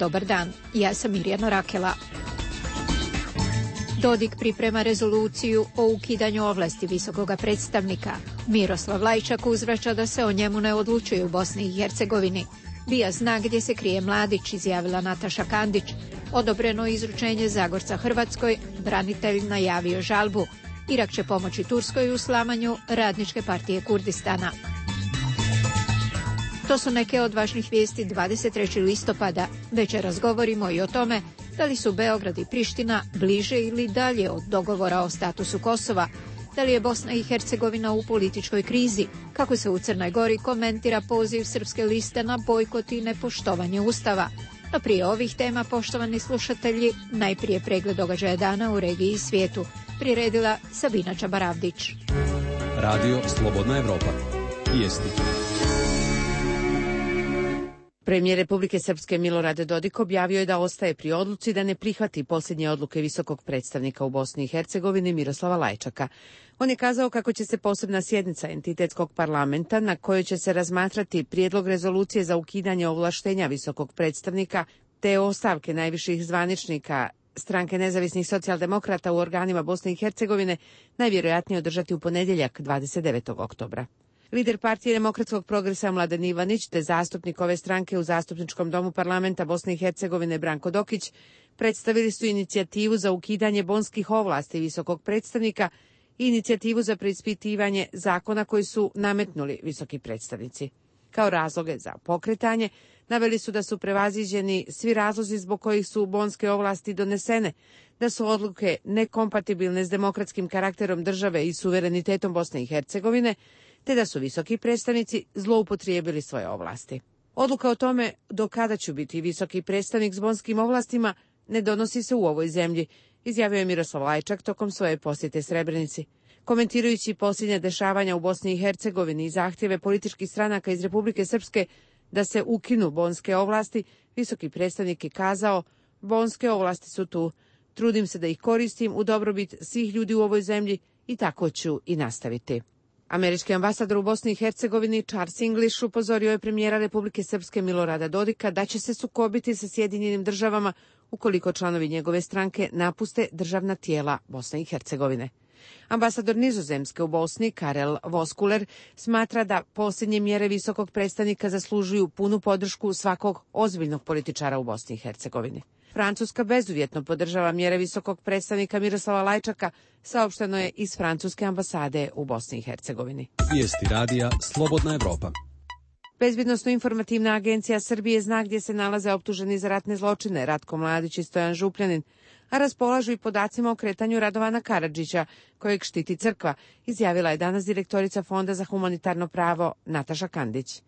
Dobar dan, ja sam Mirjana Rakela. Dodik priprema rezoluciju o ukidanju ovlasti visokoga predstavnika. Miroslav Lajčak uzvraća da se o njemu ne odlučuje u Bosni i Hercegovini. BIA zna gdje se krije Mladić, izjavila Nataša Kandić. Odobreno izručenje Zagorca Hrvatskoj, branitelj najavio žalbu. Irak će pomoći Turskoj u slamanju Radničke partije Kurdistana. To su neke od važnih vijesti 23. listopada. Večeras govorimo i o tome da li su Beograd i Priština bliže ili dalje od dogovora o statusu Kosova, da li je Bosna i Hercegovina u političkoj krizi, kako se u Crnoj Gori komentira poziv Srpske liste na bojkot i nepoštovanje Ustava. No prije ovih tema, poštovani slušatelji, najprije pregled događaja dana u regiji i svijetu. Priredila Sabina Čabaravdić. Radio Slobodna Evropa. Vijesti. Premijer Republike Srpske Milorad Dodik objavio je da ostaje pri odluci da ne prihvati posljednje odluke visokog predstavnika u Bosni i Hercegovini Miroslava Lajčaka. On je kazao kako će se posebna sjednica entitetskog parlamenta na kojoj će se razmatrati prijedlog rezolucije za ukidanje ovlaštenja visokog predstavnika te ostavke najviših zvaničnika Stranke nezavisnih socijaldemokrata u organima Bosne i Hercegovine najvjerojatnije održati u ponedjeljak 29. oktobra. Lider partije Demokratskog progresa Mladen Ivanić te zastupnik ove stranke u Zastupničkom domu parlamenta Bosne i Hercegovine Branko Dokić predstavili su inicijativu za ukidanje bonskih ovlasti visokog predstavnika i inicijativu za preispitivanje zakona koji su nametnuli visoki predstavnici. Kao razloge za pokretanje naveli su da su prevaziđeni svi razlozi zbog kojih su bonske ovlasti donesene, da su odluke nekompatibilne s demokratskim karakterom države i suverenitetom Bosne i Hercegovine, te da su visoki predstavnici zloupotrijebili svoje ovlasti. Odluka o tome do kada će biti visoki predstavnik s bonskim ovlastima ne donosi se u ovoj zemlji, izjavio je Miroslav Lajčak tokom svoje posjete Srebrenici. Komentirajući posljednje dešavanja u Bosni i Hercegovini i zahtjeve političkih stranaka iz Republike Srpske da se ukinu bonske ovlasti, visoki predstavnik je kazao: bonske ovlasti su tu, trudim se da ih koristim u dobrobit svih ljudi u ovoj zemlji i tako ću i nastaviti. Američki ambasador u Bosni i Hercegovini Charles English upozorio je premijera Republike Srpske Milorada Dodika da će se sukobiti sa Sjedinjenim državama ukoliko članovi njegove stranke napuste državna tijela Bosne i Hercegovine. Ambasador Nizozemske u Bosni Karel Voskuler smatra da posljednje mjere visokog predstavnika zaslužuju punu podršku svakog ozbiljnog političara u Bosni i Hercegovini. Francuska bezuvjetno podržava mjere visokog predstavnika Miroslava Lajčaka, saopšteno je iz francuske ambasade u Bosni i Hercegovini. Vijesti radija Slobodna Evropa. Bezbjednosno-informativna agencija Srbije zna gdje se nalaze optuženi za ratne zločine Ratko Mladić i Stojan Župljanin, a raspolažu i podacima o kretanju Radovana Karadžića, kojeg štiti crkva, izjavila je danas direktorica Fonda za humanitarno pravo Nataša Kandić.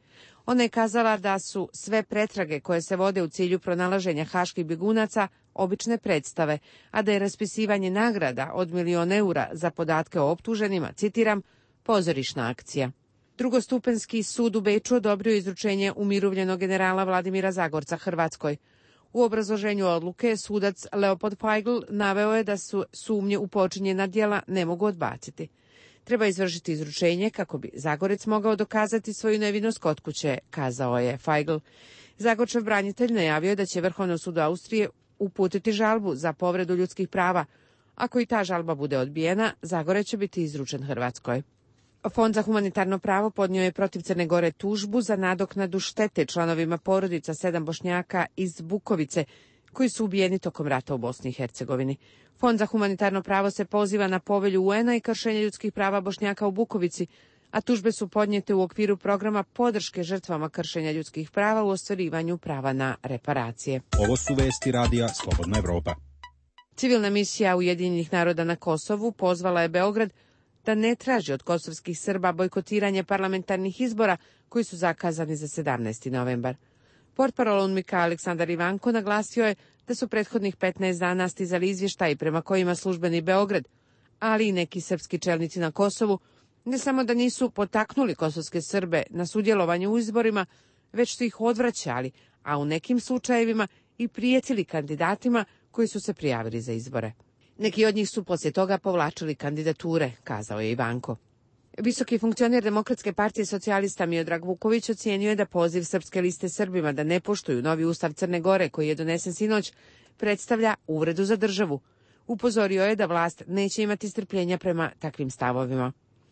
Ona je kazala da su sve pretrage koje se vode u cilju pronalaženja haških bjegunaca obične predstave, a da je raspisivanje nagrada od 1.000.000 eura za podatke o optuženima, citiram, pozorišna akcija. Drugostupenski sud u Beču odobrio izručenje umirovljenog generala Vladimira Zagorca Hrvatskoj. U obrazloženju odluke sudac Leopold Feigl naveo je da su sumnje u počinjena djela ne mogu odbaciti. Treba izvršiti izručenje kako bi Zagorec mogao dokazati svoju nevinost kod kuće, kazao je Feigl. Zagorčev branitelj najavio je da će Vrhovnom sudu Austrije uputiti žalbu za povredu ljudskih prava. Ako i ta žalba bude odbijena, Zagorec će biti izručen Hrvatskoj. Fond za humanitarno pravo podnio je protiv Crne Gore tužbu za nadoknadu štete članovima porodica 7 Bošnjaka iz Bukovice koji su ubijeni tokom rata u Bosni i Hercegovini. Fond za humanitarno pravo se poziva na povelju UN-a i kršenje ljudskih prava Bošnjaka u Bukovici, a tužbe su podnijete u okviru programa podrške žrtvama kršenja ljudskih prava u ostvarivanju prava na reparacije. Ovo su vesti radija Slobodna Evropa. Civilna misija Ujedinjenih naroda na Kosovu pozvala je Beograd da ne traži od kosovskih Srba bojkotiranje parlamentarnih izbora koji su zakazani za 17. novembar. Portparol UNMIK-a Aleksandar Ivanko naglasio je da su prethodnih 15 dana stizali izvještaji prema kojima službeni Beograd, ali i neki srpski čelnici na Kosovu, ne samo da nisu potaknuli kosovske Srbe na sudjelovanje u izborima, već su ih odvraćali, a u nekim slučajevima i prijetili kandidatima koji su se prijavili za izbore. Neki od njih su poslije toga povlačili kandidature, kazao je Ivanko. Visoki funkcioner Demokratske partije socijalista Miodrag Vuković ocijenio je da poziv Srpske liste Srbima da ne poštuju novi ustav Crne Gore koji je donesen sinoć predstavlja uvredu za državu. Upozorio je da vlast neće imati strpljenja prema takvim stavovima.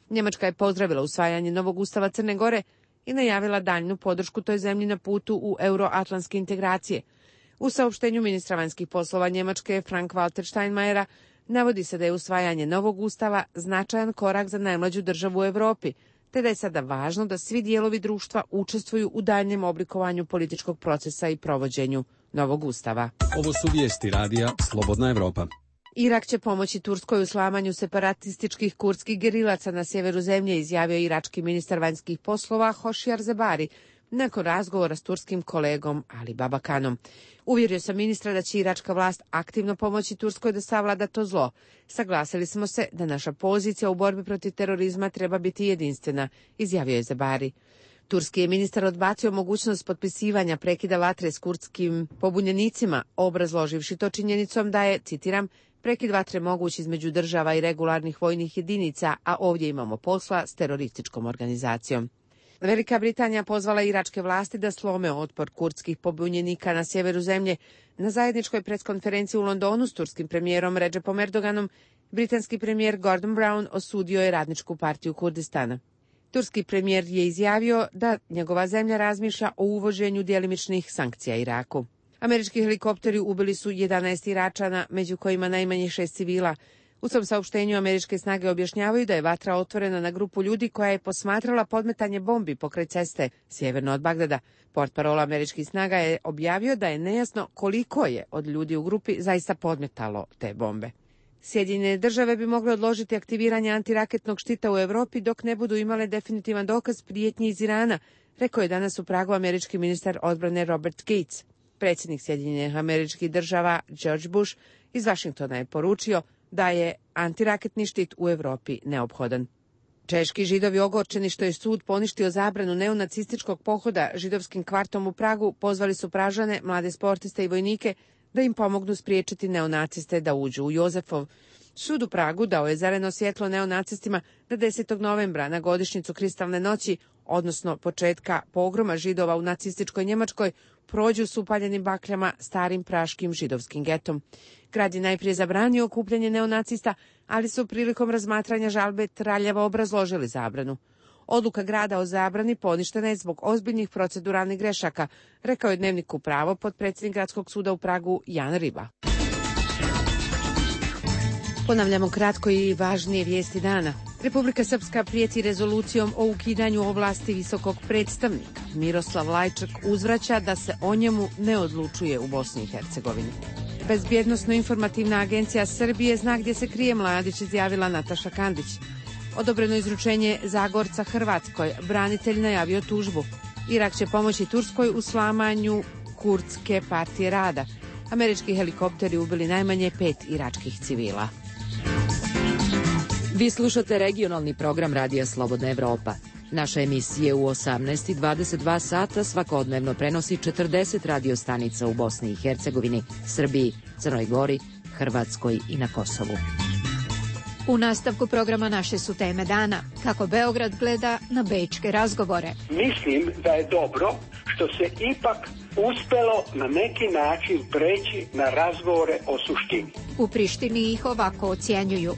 Njemačka je pozdravila usvajanje novog ustava Crne Gore i najavila daljnu podršku toj zemlji na putu u euroatlantske integracije. U saopštenju ministra vanjskih poslova Njemačke Frank-Walter Steinmeiera navodi se da je usvajanje novog ustava značajan korak za najmlađu državu u Evropi, te da je sada važno da svi dijelovi društva učestvuju u daljnjem oblikovanju političkog procesa i provođenju novog ustava. Ovo su vijesti radija Slobodna Evropa. Irak će pomoći Turskoj u slamanju separatističkih kurdskih gerilaca na sjeveru zemlje, izjavio irački ministar vanjskih poslova Hošijar Zebari nakon razgovora s turskim kolegom Ali Babakanom. Uvjerio sam ministra da će iračka vlast aktivno pomoći Turskoj da savlada to zlo. Saglasili smo se da naša pozicija u borbi protiv terorizma treba biti jedinstvena, izjavio je Zebari. Turski je ministar odbacio mogućnost potpisivanja prekida vatre s kurdskim pobunjenicima, obrazloživši to činjenicom da je, citiram, prekid vatre moguć između država i regularnih vojnih jedinica, a ovdje imamo posla s terorističkom organizacijom. Velika Britanija pozvala iračke vlasti da slome otpor kurdskih pobunjenika na sjeveru zemlje. Na zajedničkoj preskonferenciji u Londonu s turskim premijerom Recepom Erdoganom, britanski premijer Gordon Brown osudio je Radničku partiju Kurdistana. Turski premijer je izjavio da njegova zemlja razmišlja o uvođenju djelimičnih sankcija Iraku. Američki helikopteri ubili su 11 Iračana, među kojima najmanje 6 civila. U svom saopštenju američke snage objašnjavaju da je vatra otvorena na grupu ljudi koja je posmatrala podmetanje bombi pokraj ceste sjeverno od Bagdada. Portparol američkih snaga je objavio da je nejasno koliko je od ljudi u grupi zaista podmetalo te bombe. Sjedinjene države bi mogle odložiti aktiviranje antiraketnog štita u Europi dok ne budu imale definitivan dokaz prijetnji iz Irana, rekao je danas u Pragu američki ministar odbrane Robert Gates. Predsjednik Sjedinjenih američkih država George Bush iz Vašingtona je poručio da je antiraketni štit u Europi neophodan. Češki židovi ogorčeni što je sud poništio zabranu neonacističkog pohoda židovskim kvartom u Pragu pozvali su Pražane, mlade sportiste i vojnike da im pomognu spriječiti neonaciste da uđu u Jozefov. Sud u Pragu dao je zeleno svjetlo neonacistima da 10. novembra na godišnjicu Kristalne noći, odnosno početka pogroma židova u nacističkoj Njemačkoj, prođu s upaljenim bakljama starim praškim židovskim getom. Grad je najprije zabranio okupljanje neonacista, ali su prilikom razmatranja žalbe traljavo obrazložili zabranu. Odluka grada o zabrani poništena je zbog ozbiljnih proceduralnih grešaka, rekao je Dnevniku Pravo potpredsjednik Gradskog suda u Pragu Jan Riba. Ponavljamo kratko i važnije vijesti dana. Republika Srpska prijeti rezolucijom o ukidanju ovlasti visokog predstavnika. Miroslav Lajčak uzvraća da se o njemu ne odlučuje u Bosni i Hercegovini. Bezbjednosno-informativna agencija Srbije zna gdje se krije Mladić, izjavila Nataša Kandić. Odobreno izručenje Zagorca Hrvatskoj, branitelj najavio tužbu. Irak će pomoći Turskoj u slamanju Kurdske partije rada. Američki helikopteri ubili najmanje 5 iračkih civila. Vi slušate regionalni program Radija Slobodna Evropa. Naše emisije u 18 i 22 sata svakodnevno prenosi 40 radiostanica u Bosni i Hercegovini, Srbiji, Crnoj Gori, Hrvatskoj i na Kosovu. U nastavku programa naše su teme dana. Kako Beograd gleda na bečke razgovore. Mislim da je dobro što se ipak uspelo na neki način preći na razgovore o suštini. U Prištini ih ovako ocjenjuju.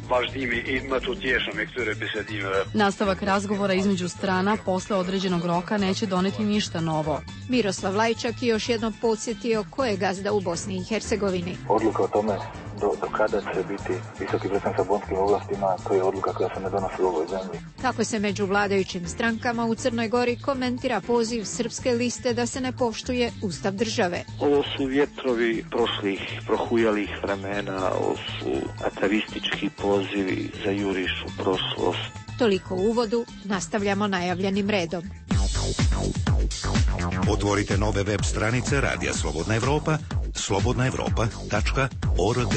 Nastavak razgovora između strana posle određenog roka neće doneti ništa novo. Miroslav Lajčak je još jednom podsjetio ko je gazda u Bosni i Hercegovini. Odluka o tome do kada će biti visoki predstavnik sa bonskim ovlastima, to je odluka koja se ne donosi u ovoj zemlji. Kako se među vladajućim strankama u Crnoj Gori komentira poziv Srpske liste da se ne poštuje Ustav države. Ovo su vjetrovi prošlih, prohujalih vremena, ovo su atavistički pozivi za juriš u prošlost. Toliko u uvodu, nastavljamo najavljenim redom. Otvorite nove web stranice Radija Slobodna Evropa, slobodnaevropa.org.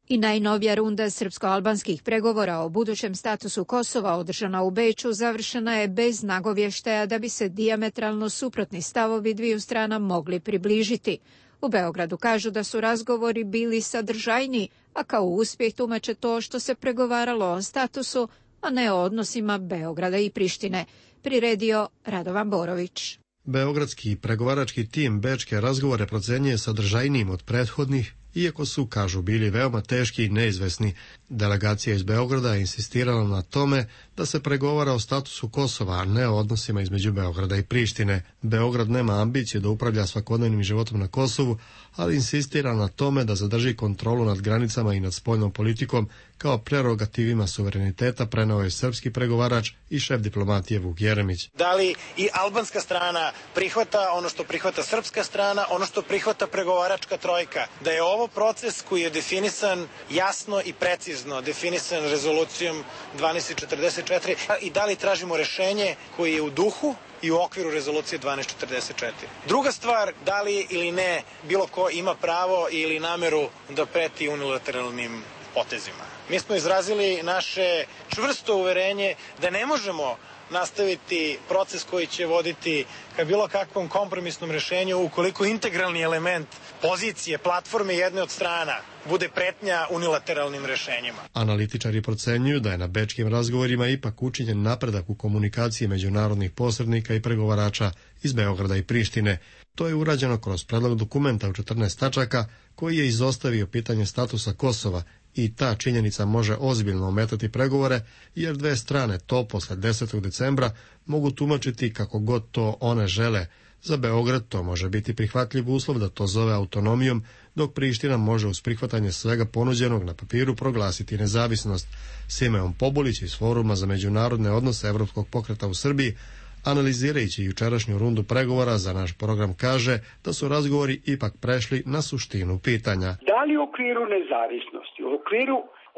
I najnovija runda srpsko-albanskih pregovora o budućem statusu Kosova održana u Beču završena je bez nagovještaja da bi se dijametralno suprotni stavovi dviju strana mogli približiti. U Beogradu kažu da su razgovori bili sadržajniji, a kao uspjeh tumače to što se pregovaralo o statusu, a ne o odnosima Beograda i Prištine, priredio Radovan Borović. Beogradski pregovarački tim bečke razgovore procenjuje sadržajnijim od prethodnih, iako su, kažu, bili veoma teški i neizvesni. Delegacija iz Beograda je insistirala na tome da se pregovara o statusu Kosova, a ne o odnosima između Beograda i Prištine. Beograd nema ambiciju da upravlja svakodnevnim životom na Kosovu, ali insistira na tome da zadrži kontrolu nad granicama i nad spoljnom politikom kao prerogativima suvereniteta, preneo je srpski pregovarač i šef diplomatije Vuk Jeremić. Da li i albanska strana prihvata ono što prihvata srpska strana, ono što prihvata pregovaračka trojka? Da je ovo proces koji je definisan jasno i precizno, definisan rezolucijom 1244 i da li tražimo rešenje koje je u duhu i u okviru rezolucije 1244. Druga stvar, da li ili ne bilo ko ima pravo ili nameru da preti unilateralnim potezima. Mi smo izrazili naše čvrsto uverenje da ne možemo nastaviti proces koji će voditi ka bilo kakvom kompromisnom rešenju ukoliko integralni element pozicije, platforme jedne od strana bude pretnja unilateralnim rešenjima. Analitičari procenjuju da je na bečkim razgovorima ipak učinjen napredak u komunikaciji međunarodnih posrednika i pregovarača iz Beograda i Prištine. To je urađeno kroz predlog dokumenta u 14 tačaka koji je izostavio pitanje statusa Kosova i ta činjenica može ozbiljno ometati pregovore jer dve strane to posle 10. decembra mogu tumačiti kako god to one žele. Za Beograd to može biti prihvatljiv uslov da to zove autonomijom, dok Priština može uz prihvatanje svega ponuđenog na papiru proglasiti nezavisnost. Simeon Pobulić iz Foruma za međunarodne odnose Evropskog pokreta u Srbiji, analizirajući jučerašnju rundu pregovora za naš program, kaže da su razgovori ipak prešli na suštinu pitanja. Da li u okviru nezavisnosti, u okviru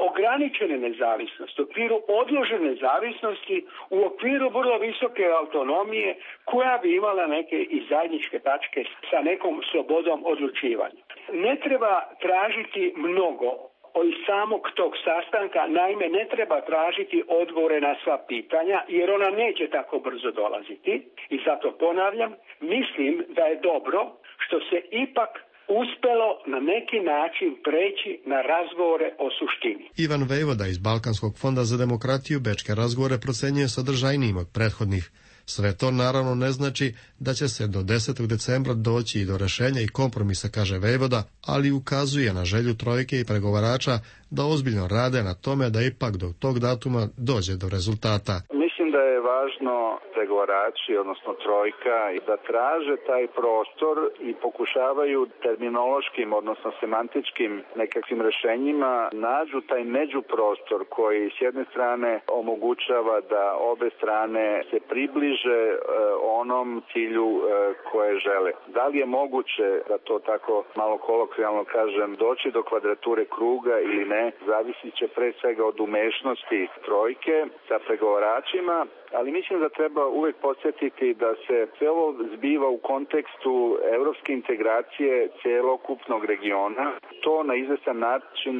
ograničene nezavisnosti, u okviru odložene nezavisnosti, u okviru vrlo visoke autonomije koja bi imala neke i zajedničke tačke sa nekom slobodom odlučivanja. Ne treba tražiti mnogo od samog tog sastanka, naime ne treba tražiti odgovore na sva pitanja jer ona neće tako brzo dolaziti i zato ponavljam, mislim da je dobro što se ipak uspelo na neki način preći na razgovore o suštini. Ivan Vejvoda iz Balkanskog fonda za demokratiju bečke razgovore procenjuje sadržajnijim od prethodnih. Sve to naravno ne znači da će se do 10. decembra doći i do rešenja i kompromisa, kaže Vejvoda, ali ukazuje na želju trojke i pregovarača da ozbiljno rade na tome da ipak do tog datuma dođe do rezultata. Mislim da je važno pregovarači, odnosno trojka, da traže taj prostor i pokušavaju terminološkim, odnosno semantičkim nekakvim rešenjima nađu taj međuprostor koji s jedne strane omogućava da obe strane se približe onom cilju koje žele. Da li je moguće, da to tako malo kolokvijalno kažem, doći do kvadrature kruga ili ne, zavisit će pre svega od umešnosti trojke sa pregovaračima, ali mislim da treba uvek podsjetiti da se sve ovo zbiva u kontekstu evropske integracije celokupnog regiona. To na izvestan način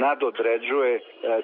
nadodređuje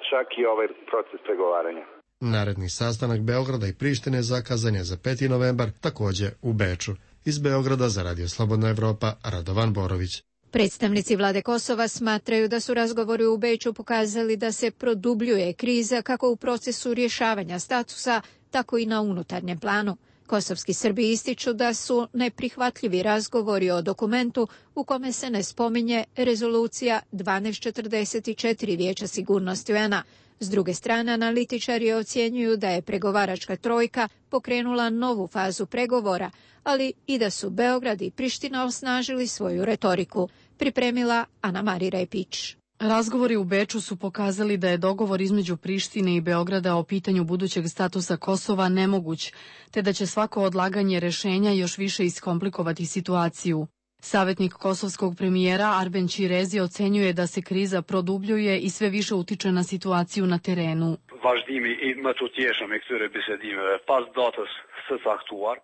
čak i ovaj proces pregovaranja. Naredni sastanak Beograda i Prištine zakazan je za 5. novembar, takođe u Beču. Iz Beograda za Radio Slobodna Evropa, Radovan Borović. Predstavnici vlade Kosova smatraju da su razgovori u Beču pokazali da se produbljuje kriza kako u procesu rješavanja statusa, tako i na unutarnjem planu. Kosovski Srbi ističu da su neprihvatljivi razgovori o dokumentu u kome se ne spominje rezolucija 1244 Vijeća sigurnosti UN-a. S druge strane, analitičari ocjenjuju da je pregovaračka trojka pokrenula novu fazu pregovora, ali i da su Beograd i Priština osnažili svoju retoriku, pripremila Ana Mari Repić. Razgovori u Beču su pokazali da je dogovor između Prištine i Beograda o pitanju budućeg statusa Kosova nemoguć, te da će svako odlaganje rešenja još više iskomplikovati situaciju. Savjetnik kosovskog premijera Arben Ćirezi ocenjuje da se kriza produbljuje i sve više utiče na situaciju na terenu.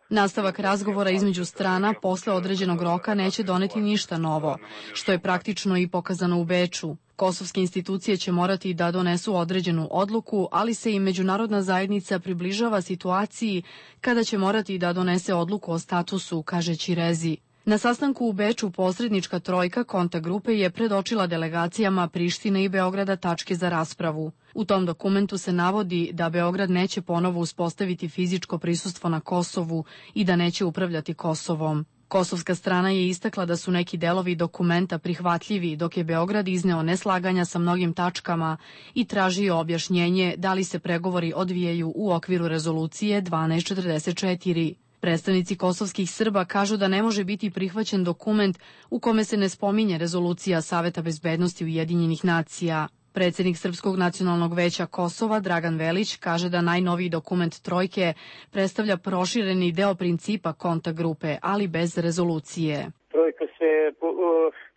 Nastavak razgovora između strana posle određenog roka neće doneti ništa novo, što je praktično i pokazano u Beču. Kosovske institucije će morati da donesu određenu odluku, ali se i međunarodna zajednica približava situaciji kada će morati da donese odluku o statusu, kaže Ćirezi. Na sastanku u Beču posrednička trojka kontakt grupe je predočila delegacijama Prištine i Beograda tačke za raspravu. U tom dokumentu se navodi da Beograd neće ponovo uspostaviti fizičko prisustvo na Kosovu i da neće upravljati Kosovom. Kosovska strana je istakla da su neki delovi dokumenta prihvatljivi, dok je Beograd izneo neslaganja sa mnogim tačkama i tražio objašnjenje da li se pregovori odvijaju u okviru rezolucije 1244. Predstavnici kosovskih Srba kažu da ne može biti prihvaćen dokument u kome se ne spominje rezolucija Saveta bezbednosti Ujedinjenih nacija. Predsjednik Srpskog nacionalnog veća Kosova, Dragan Velić, kaže da najnoviji dokument trojke predstavlja prošireni deo principa kontakt grupe, ali bez rezolucije. Trojka se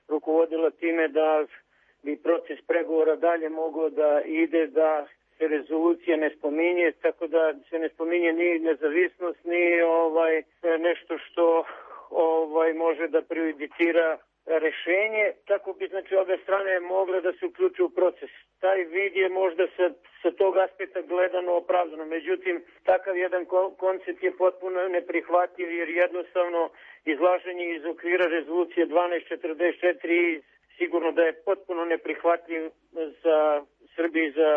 rukovodila time da bi proces pregovora dalje mogao da ide, da se rezolucija ne spominje, tako da se ne spominje ni nezavisnost, ni nešto što može da prejudicira rešenje, tako bi znači obe strane mogle da se uključe u proces. Taj vid je možda sa tog aspekta gledano opravdano, međutim takav jedan koncept je potpuno neprihvatljiv jer jednostavno izlaženje iz okvira rezolucije 1244 sigurno da je potpuno neprihvatljiv za Srbiju i za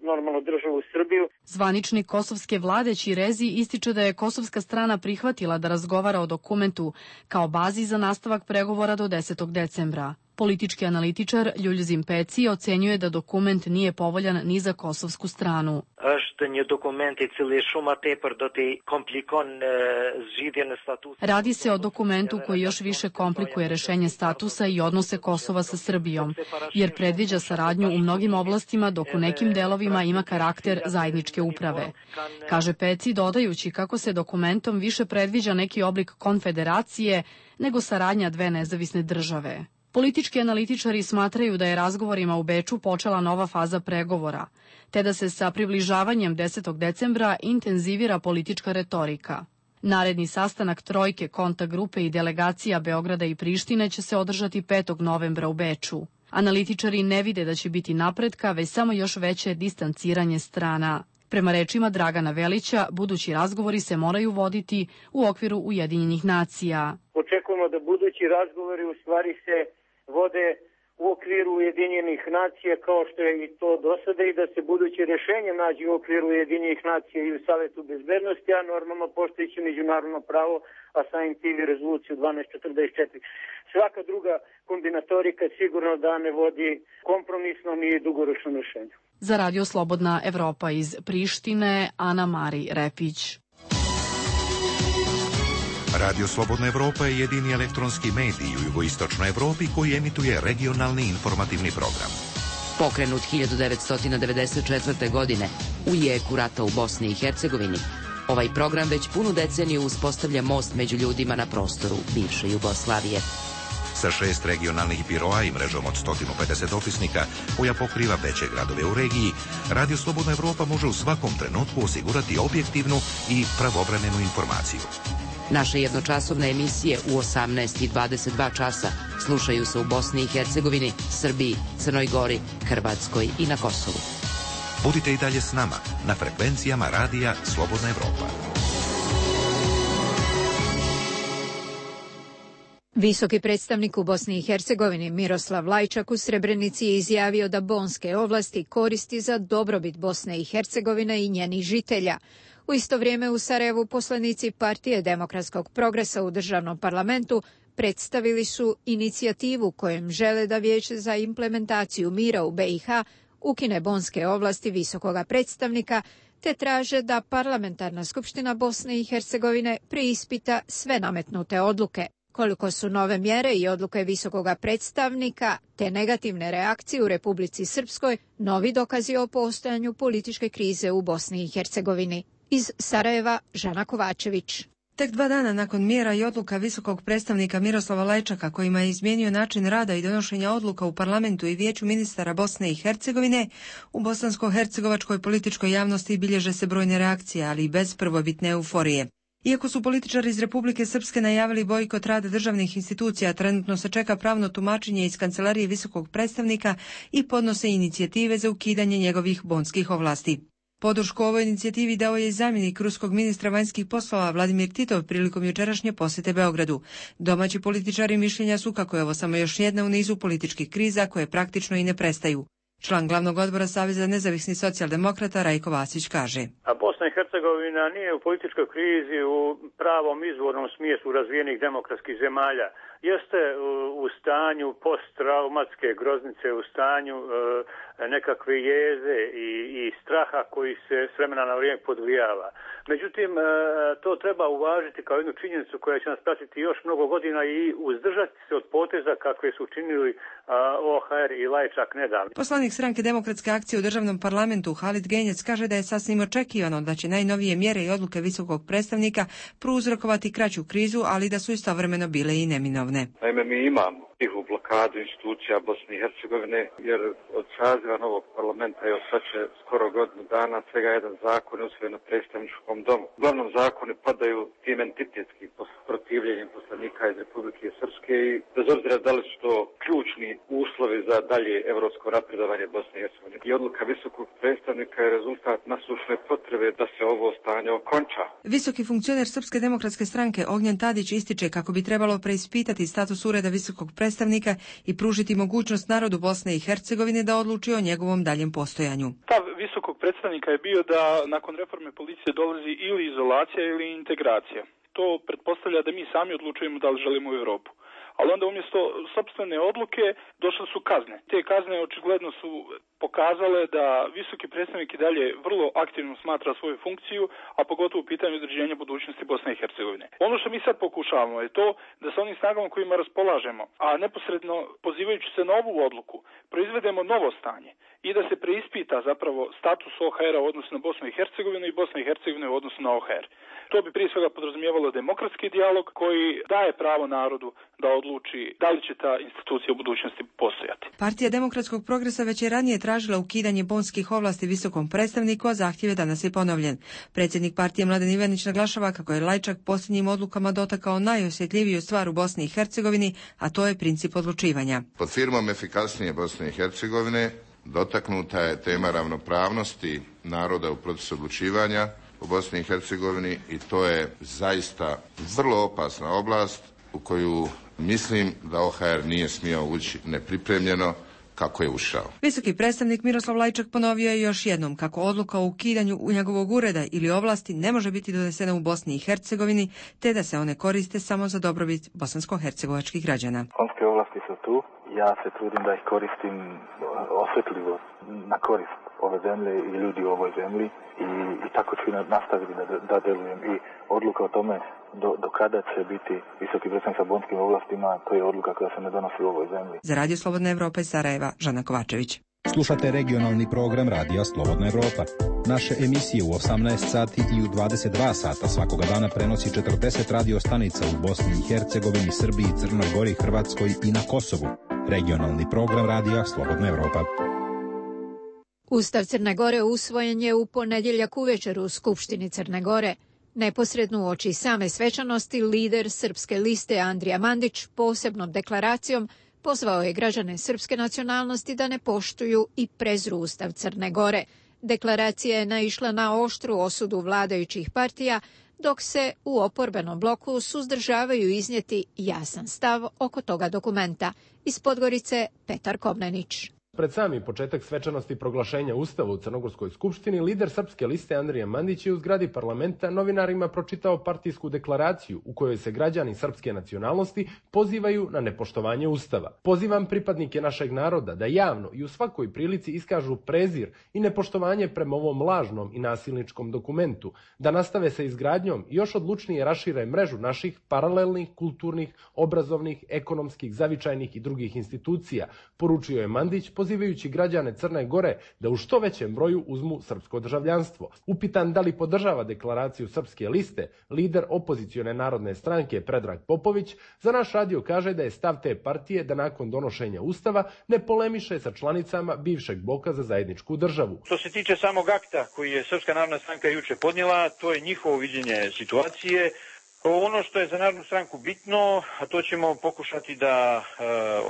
normalno državu Srbiju. Zvaničnik kosovske vlade Ćirezi ističe da je kosovska strana prihvatila da razgovara o dokumentu kao bazi za nastavak pregovora do 10. decembra. Politički analitičar Ljuljzim Peci ocenjuje da dokument nije povoljan ni za kosovsku stranu. Radi se o dokumentu koji još više komplikuje rešenje statusa i odnose Kosova sa Srbijom, jer predviđa saradnju u mnogim oblastima dok u nekim delovima ima karakter zajedničke uprave. Kaže Peci, dodajući kako se dokumentom više predviđa neki oblik konfederacije nego saradnja dve nezavisne države. Politički analitičari smatraju da je razgovorima u Beču počela nova faza pregovora, te da se sa približavanjem 10. decembra intenzivira politička retorika. Naredni sastanak trojke, kontakt grupe i delegacija Beograda i Prištine će se održati 5. novembra u Beču. Analitičari ne vide da će biti napretka, već samo još veće distanciranje strana. Prema rečima Dragana Velića, budući razgovori se moraju voditi u okviru Ujedinjenih nacija. Očekujemo da budući razgovori u stvari se vode u okviru Ujedinjenih nacija kao što je i to do sada i da se buduće rešenje nađe u okviru Ujedinjenih nacija i u Savetu bezbednosti, a normalno poštujući međunarodno pravo, a samim tim i rezoluciju 1244. Svaka druga kombinatorika sigurno da ne vodi kompromisnom i dugoročnom rešenju. Za Radio Slobodna Evropa iz Prištine, Ana Mari Repić. Radio Slobodna Evropa je jedini elektronski medij u jugoistočnoj Evropi koji emituje regionalni informativni program. Pokrenut 1994. godine u jeku rata u Bosni i Hercegovini, ovaj program već punu deceniju uspostavlja most među ljudima na prostoru bivše Jugoslavije. Sa 6 regionalnih biroa i mrežom od 150 opisnika koja pokriva veće gradove u regiji, Radio Slobodna Evropa može u svakom trenutku osigurati objektivnu i pravovremenu informaciju. Naše jednočasovne emisije u 18 i 22 časa slušaju se u Bosni i Hercegovini, Srbiji, Crnoj Gori, Hrvatskoj i na Kosovu. Budite i dalje s nama na frekvencijama Radija Slobodna Evropa. Visoki predstavnik u Bosni i Hercegovini Miroslav Lajčak u Srebrenici je izjavio da bonske ovlasti koristi za dobrobit Bosne i Hercegovine i njenih žitelja. U isto vrijeme u Sarajevu poslanici Partije demokratskog progresa u državnom parlamentu predstavili su inicijativu kojom žele da Vijeće za implementaciju mira u BiH ukine bonske ovlasti visokoga predstavnika, te traže da Parlamentarna skupština Bosne i Hercegovine preispita sve nametnute odluke. Koliko su nove mjere i odluke visokoga predstavnika te negativne reakcije u Republici Srpskoj novi dokazi o postojanju političke krize u Bosni i Hercegovini. Iz Sarajeva, Žana Kovačević. Tek 2 dana nakon mjera i odluka visokog predstavnika Miroslava Lajčaka kojima je izmijenio način rada i donošenja odluka u parlamentu i vijeću ministara Bosne i Hercegovine, u bosansko-hercegovačkoj političkoj javnosti bilježe se brojne reakcije, ali i bez prvobitne euforije. Iako su političari iz Republike Srpske najavili bojkot rada državnih institucija, trenutno se čeka pravno tumačenje iz kancelarije visokog predstavnika i podnose inicijative za ukidanje njegovih bonskih ovlasti. Podršku ovoj inicijativi dao je i zamjenik ruskog ministra vanjskih poslova Vladimir Titov prilikom jučerašnje posjete Beogradu. Domaći političari mišljenja su kako je ovo samo još jedna u nizu političkih kriza koje praktično i ne prestaju. Član glavnog odbora Saveza nezavisnih socijaldemokrata Rajko Vasić kaže: A Bosna i Hercegovina nije u političkoj krizi u pravom izvornom smislu razvijenih demokratskih zemalja. Jeste u stanju posttraumatske groznice, u stanju nekakve jeze i straha koji se s vremena na vrijeme podvijava. Međutim, to treba uvažiti kao jednu činjenicu koja će nas pratiti još mnogo godina i uzdržati se od poteza kakve su činili OHR i Lajčak nedavno. Poslanik stranke Demokratske akcije u državnom parlamentu Halid Genjec kaže da je sasvim očekivano da će najnovije mjere i odluke visokog predstavnika prouzrokovati kraću krizu, ali da su istovremeno bile i neminovne. Naime, mi imamo tihu blokadu institucija Bosne i Hercegovine, jer od saziva novog parlamenta je sad će skoro godinu dana svega jedan zakon usvojen na predstavničkom domu. Uglavnom zakoni padaju tim entitetskim protivljenjem poslanika iz Republike Srpske i bez obzira da li su to ključni uslovi za dalje evropsko napredovanje Bosne i Hercegovine. I odluka visokog predstavnika je rezultat nasušne potrebe da se ovo stanje okonča. Visoki funkcioner Srpske demokratske stranke Ognjen Tadić ističe kako bi trebalo preispitati status ureda visokog predstavnika i pružiti mogućnost narodu Bosne i Hercegovine da odluči o njegovom daljem postojanju. Stav visokog predstavnika je bio da nakon reforme policije dolazi ili izolacija ili integracija. To pretpostavlja da mi sami odlučujemo da li želimo u Europu. Ali onda umjesto sopstvene odluke došle su kazne. Te kazne očigledno su pokazale da visoki predstavnik i dalje vrlo aktivno smatra svoju funkciju, a pogotovo u pitanju određenja budućnosti Bosne i Hercegovine. Ono što mi sad pokušavamo je to da sa onim snagama kojima raspolažemo, a neposredno pozivajući se na ovu odluku, proizvedemo novo stanje i da se preispita zapravo status OHR-a u odnosu na Bosnu i Hercegovinu i Bosne i Hercegovine u odnosu na OHR. To bi prije svega podrazumijevalo demokratski dijalog koji daje pravo narodu da odluči da li će ta institucija u budućnosti postojati. Partija Demokratskog progresa već je ranije tražila ukidanje bonskih ovlasti visokom predstavniku, a zahtjev je danas i ponovljen. Predsjednik partije Mladen Ivanić naglašava kako je Lajčak posljednjim odlukama dotakao najosjetljiviju stvar u Bosni i Hercegovini, a to je princip odlučivanja. Pod firmom efikasnije Bosne i Hercegovine dotaknuta je tema ravnopravnosti naroda u procesu odlučivanja u Bosni i Hercegovini i to je zaista vrlo opasna oblast u koju mislim da OHR nije smio ući nepripremljeno kako je ušao. Visoki predstavnik Miroslav Lajčak ponovio je još jednom kako odluka o ukidanju njegovog ureda ili ovlasti ne može biti donesena u Bosni i Hercegovini, te da se one koriste samo za dobrobit bosansko-hercegovačkih građana. Bonske ovlasti su tu, ja se trudim da ih koristim osjetljivo na korist ove zemlje i ljudi u ovoj zemlji i tako ću nastaviti da delujem i odluka o tome do kada će biti visoki predstavnik sa bonskim ovlastima, to je odluka koja se ne donosi u ovoj zemlji. Za Radio Slobodna Evropa iz Sarajeva, Žana Kovačević. Slušate regionalni program Radija Slobodna Evropa. Naše emisije u 18 sati i u 22 sata svakoga dana prenosi 40 radio stanica u Bosni i Hercegovini, Srbiji, Crnoj Gori, Hrvatskoj i na Kosovu. Regionalni program Radija Slobodna Evropa. Ustav Crne Gore usvojen je u ponedjeljak uvečer u Skupštini Crne Gore. Neposredno uoči same svečanosti lider Srpske liste Andrija Mandić posebnom deklaracijom pozvao je građane srpske nacionalnosti da ne poštuju i prezru Ustav Crne Gore. Deklaracija je naišla na oštru osudu vladajućih partija, dok se u oporbenom bloku suzdržavaju iznijeti jasan stav oko toga dokumenta. Iz Podgorice Petar Komnenić. Pred sami početak svečanosti proglašenja Ustava u Crnogorskoj skupštini, lider Srpske liste Andrija Mandić je u zgradi parlamenta novinarima pročitao partijsku deklaraciju u kojoj se građani srpske nacionalnosti pozivaju na nepoštovanje Ustava. Pozivam pripadnike našeg naroda da javno i u svakoj prilici iskažu prezir i nepoštovanje prema ovom lažnom i nasilničkom dokumentu, da nastave sa izgradnjom i još odlučnije rašire mrežu naših paralelnih, kulturnih, obrazovnih, ekonomskih, zavičajnih i drugih institucija, poručio je Mandić, pozivajući građane Crne Gore da u što većem broju uzmu srpsko državljanstvo. Upitan da li podržava deklaraciju Srpske liste, lider opozicione narodne stranke Predrag Popović za naš radio kaže da je stav te partije da nakon donošenja Ustava ne polemiše sa članicama bivšeg bloka za zajedničku državu. Što se tiče samog akta koji je Srpska narodna stranka juče podnijela, to je njihovo viđenje situacije. Ono što je za Narodnu stranku bitno, a to ćemo pokušati da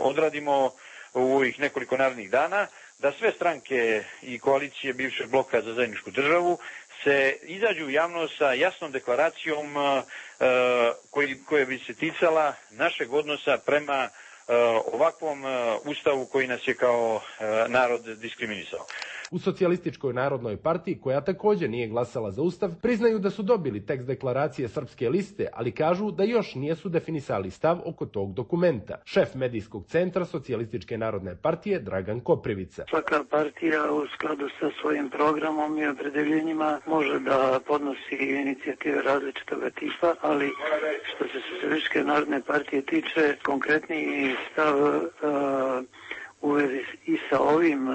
odradimo u ovih nekoliko narednih dana, da sve stranke i koalicije bivšeg bloka za zajedničku državu se izađu u javnost sa jasnom deklaracijom koja bi se ticala našeg odnosa prema ovakvom ustavu koji nas je kao narod diskriminisao. U Socijalističkoj narodnoj partiji, koja također nije glasala za ustav, priznaju da su dobili tekst deklaracije Srpske liste, ali kažu da još nisu definisali stav oko tog dokumenta. Šef medijskog centra Socijalističke narodne partije Dragan Koprivica. Svaka partija u skladu sa svojim programom i opredeljenjima može da podnosi inicijative različitog tipa, ali što se Socijalističke narodne partije tiče, konkretniji stav u vezi i sa ovim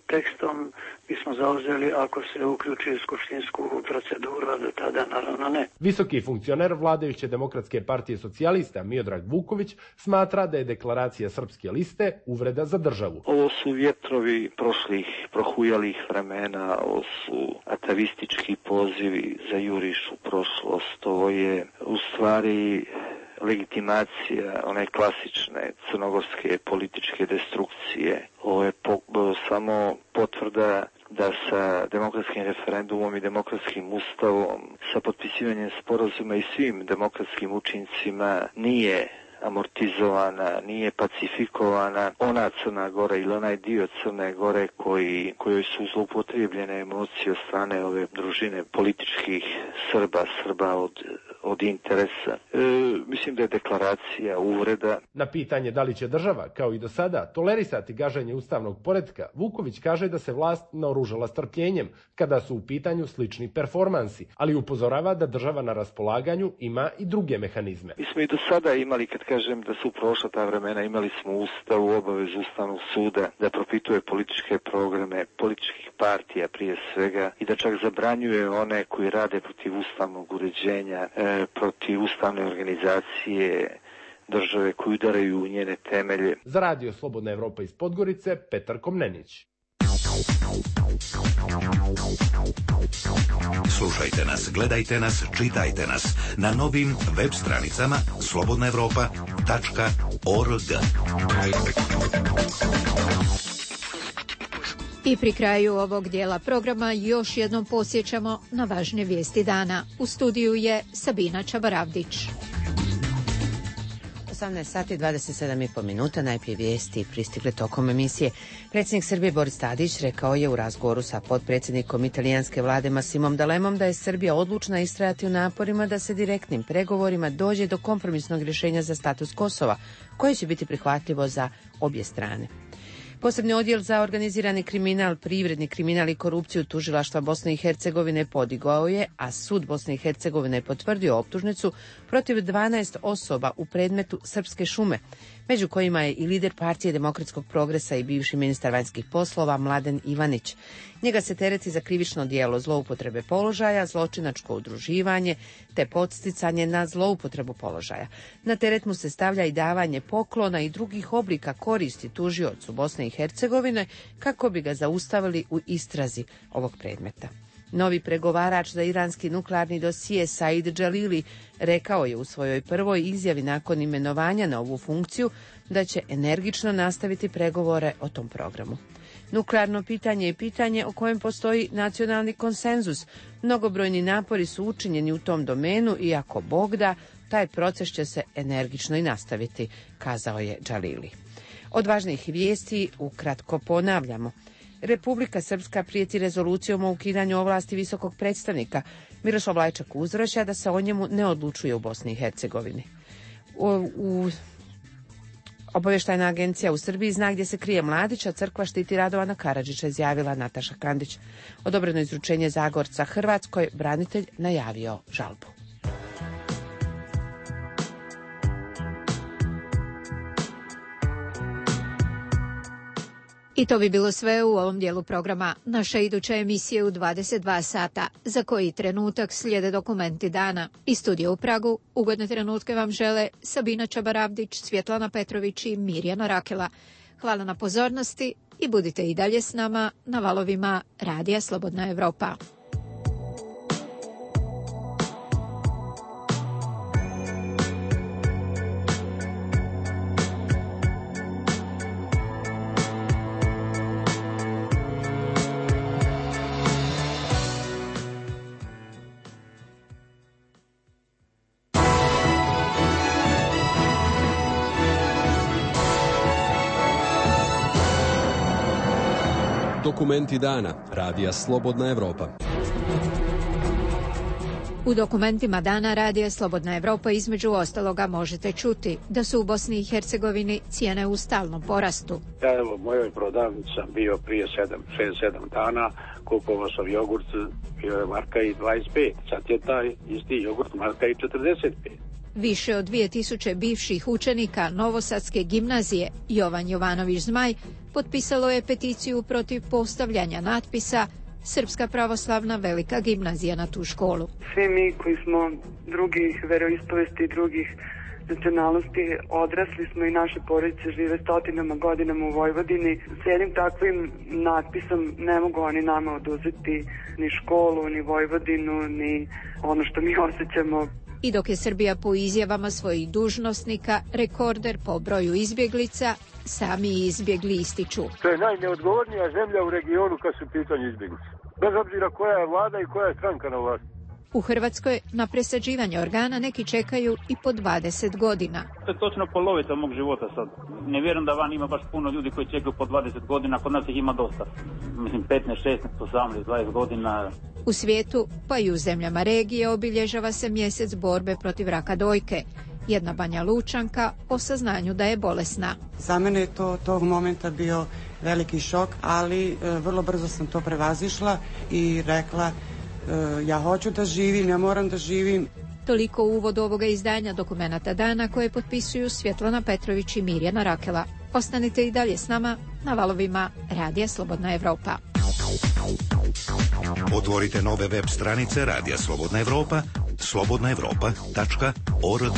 tekstom bismo zauzeli ako se uključi u skupštinsku proceduru, a do tada naravno ne. Visoki funkcioner vladajuće Demokratske partije socijalista Miodrag Vuković smatra da je deklaracija Srpske liste uvreda za državu. Ovo su vjetrovi prošlih prohujalih vremena, ovo su atavistički pozivi za juriš u prošlost, ovo je u stvari legitimacija one klasične crnogorske političke destrukcije. Ovo je samo potvrda da sa demokratskim referendumom i demokratskim ustavom, sa potpisivanjem sporazuma i svim demokratskim učincima nije amortizovana, nije pacifikovana ona Crna Gora ili onaj dio Crne Gore kojoj su zloupotrijebljene emocije od strane ove družine političkih Srba od interesa. Mislim da je deklaracija uvreda. Na pitanje da li će država, kao i do sada, tolerisati gaženje ustavnog poretka, Vuković kaže da se vlast naoružala strpljenjem kada su u pitanju slični performansi, ali upozorava da država na raspolaganju ima i druge mehanizme. Mi smo i do sada imali, kad kažem da su prošla ta vremena, imali smo u Ustavu obavezu Ustavnog suda da propituje političke programe, političkih partija prije svega i da čak zabranjuje one koji rade protiv ustavnog uređenja, protiv ustavne organizacije države koji udaraju u njene temelje. Za Radio Slobodna Evropa iz Podgorice, Petar Komnenić. Slušajte nas, gledajte nas, čitajte nas na novim web stranicama slobodnaevropa.org. I pri kraju ovog dijela programa još jednom podsjećamo na važne vijesti dana. U studiju je Sabina Čabaravdić. 18 sati 27,5 minuta, najprije vijesti pristigle tokom emisije. Predsjednik Srbije Boris Tadić rekao je u razgovoru sa potpredsjednikom italijanske vlade Massimom Dalemom da je Srbija odlučna istrajati u naporima da se direktnim pregovorima dođe do kompromisnog rješenja za status Kosova, koje će biti prihvatljivo za obje strane. Posebni odjel za organizirani kriminal, privredni kriminal i korupciju tužilaštva Bosne i Hercegovine podigao je, a sud Bosne i Hercegovine potvrdio optužnicu protiv 12 osoba u predmetu Srpske šume, među kojima je i lider partije Demokratskog progresa i bivši ministar vanjskih poslova Mladen Ivanić. Njega se tereti za krivično djelo zloupotrebe položaja, zločinačko udruživanje te podsticanje na zloupotrebu položaja. Na teret mu se stavlja i davanje poklona i drugih oblika koristi tužiocu Bosne i Hercegovine kako bi ga zaustavili u istrazi ovog predmeta. Novi pregovarač za iranski nuklearni dosije Said Džalili rekao je u svojoj prvoj izjavi nakon imenovanja na ovu funkciju da će energično nastaviti pregovore o tom programu. Nuklearno pitanje je pitanje o kojem postoji nacionalni konsenzus. Mnogobrojni napori su učinjeni u tom domenu i ako Bog da, taj proces će se energično i nastaviti, kazao je Džalili. Od važnih vijesti ukratko ponavljamo. Republika Srpska prijeti rezolucijom o ukidanju ovlasti visokog predstavnika. Miroslav Lajčak uzvraća da se o njemu ne odlučuje u Bosni i Hercegovini. Obavještajna agencija u Srbiji zna gdje se krije Mladić, a crkva štiti Radovana Karadžića, izjavila Nataša Kandić. Odobreno izručenje Zagorca Hrvatskoj, branitelj najavio žalbu. I to bi bilo sve u ovom dijelu programa. Naša iduća emisija u 22 sata, za koji trenutak slijede dokumenti dana. Iz studija u Pragu ugodne trenutke vam žele Sabina Čabaravdić, Svjetlana Petrović i Mirjana Rakela. Hvala na pozornosti i budite i dalje s nama na valovima Radija Slobodna Evropa. Dokumenti dana Radija Slobodna Evropa. U dokumentima dana Radija Slobodna Evropa između ostaloga možete čuti da su u Bosni i Hercegovini cijene u stalnom porastu. Ja evo, u mojoj prodavnici sam bio prije 6-7 dana, kupovao sam jogurt, bio je marka i 25, sad je taj isti jogurt marka i 45. Više od 2000 bivših učenika Novosadske gimnazije Jovan Jovanović Zmaj potpisalo je peticiju protiv postavljanja natpisa Srpska pravoslavna velika gimnazija na tu školu. Svi mi koji smo drugih veroispovesti i drugih nacionalnosti odrasli smo i naše porodice žive stotinama godinama u Vojvodini. S jednim takvim natpisom ne mogu oni nama oduzeti ni školu, ni Vojvodinu, ni ono što mi osjećamo. I dok je Srbija po izjavama svojih dužnosnika rekorder po broju izbjeglica, sami izbjegli ističu. To je najneodgovornija zemlja u regionu kad su pitanje izbjeglice. Bez obzira koja je vlada i koja je stranka na vlasti. U Hrvatskoj na presađivanje organa neki čekaju i po 20 godina. To je točno polovica mog života sad. Ne vjerujem da van ima baš puno ljudi koji čekaju po 20 godina, kod nas ih ima dosta. Mislim 15, 16, 18, 20 godina. U svijetu, pa i u zemljama regije, obilježava se mjesec borbe protiv raka dojke. Jedna Banja Lučanka o saznanju da je bolesna. Za mene je to tog momenta bio veliki šok, ali vrlo brzo sam to prevazišla i rekla ja hoću da živim, ja moram da živim. Toliko u uvodu ovoga izdanja Dokumenata dana koje potpisuju Svjetlana Petrović i Mirjana Rakela. Ostanite i dalje s nama na valovima Radija Slobodna Evropa. Otvorite nove web stranice Radija Slobodna Evropa, slobodnaevropa.org.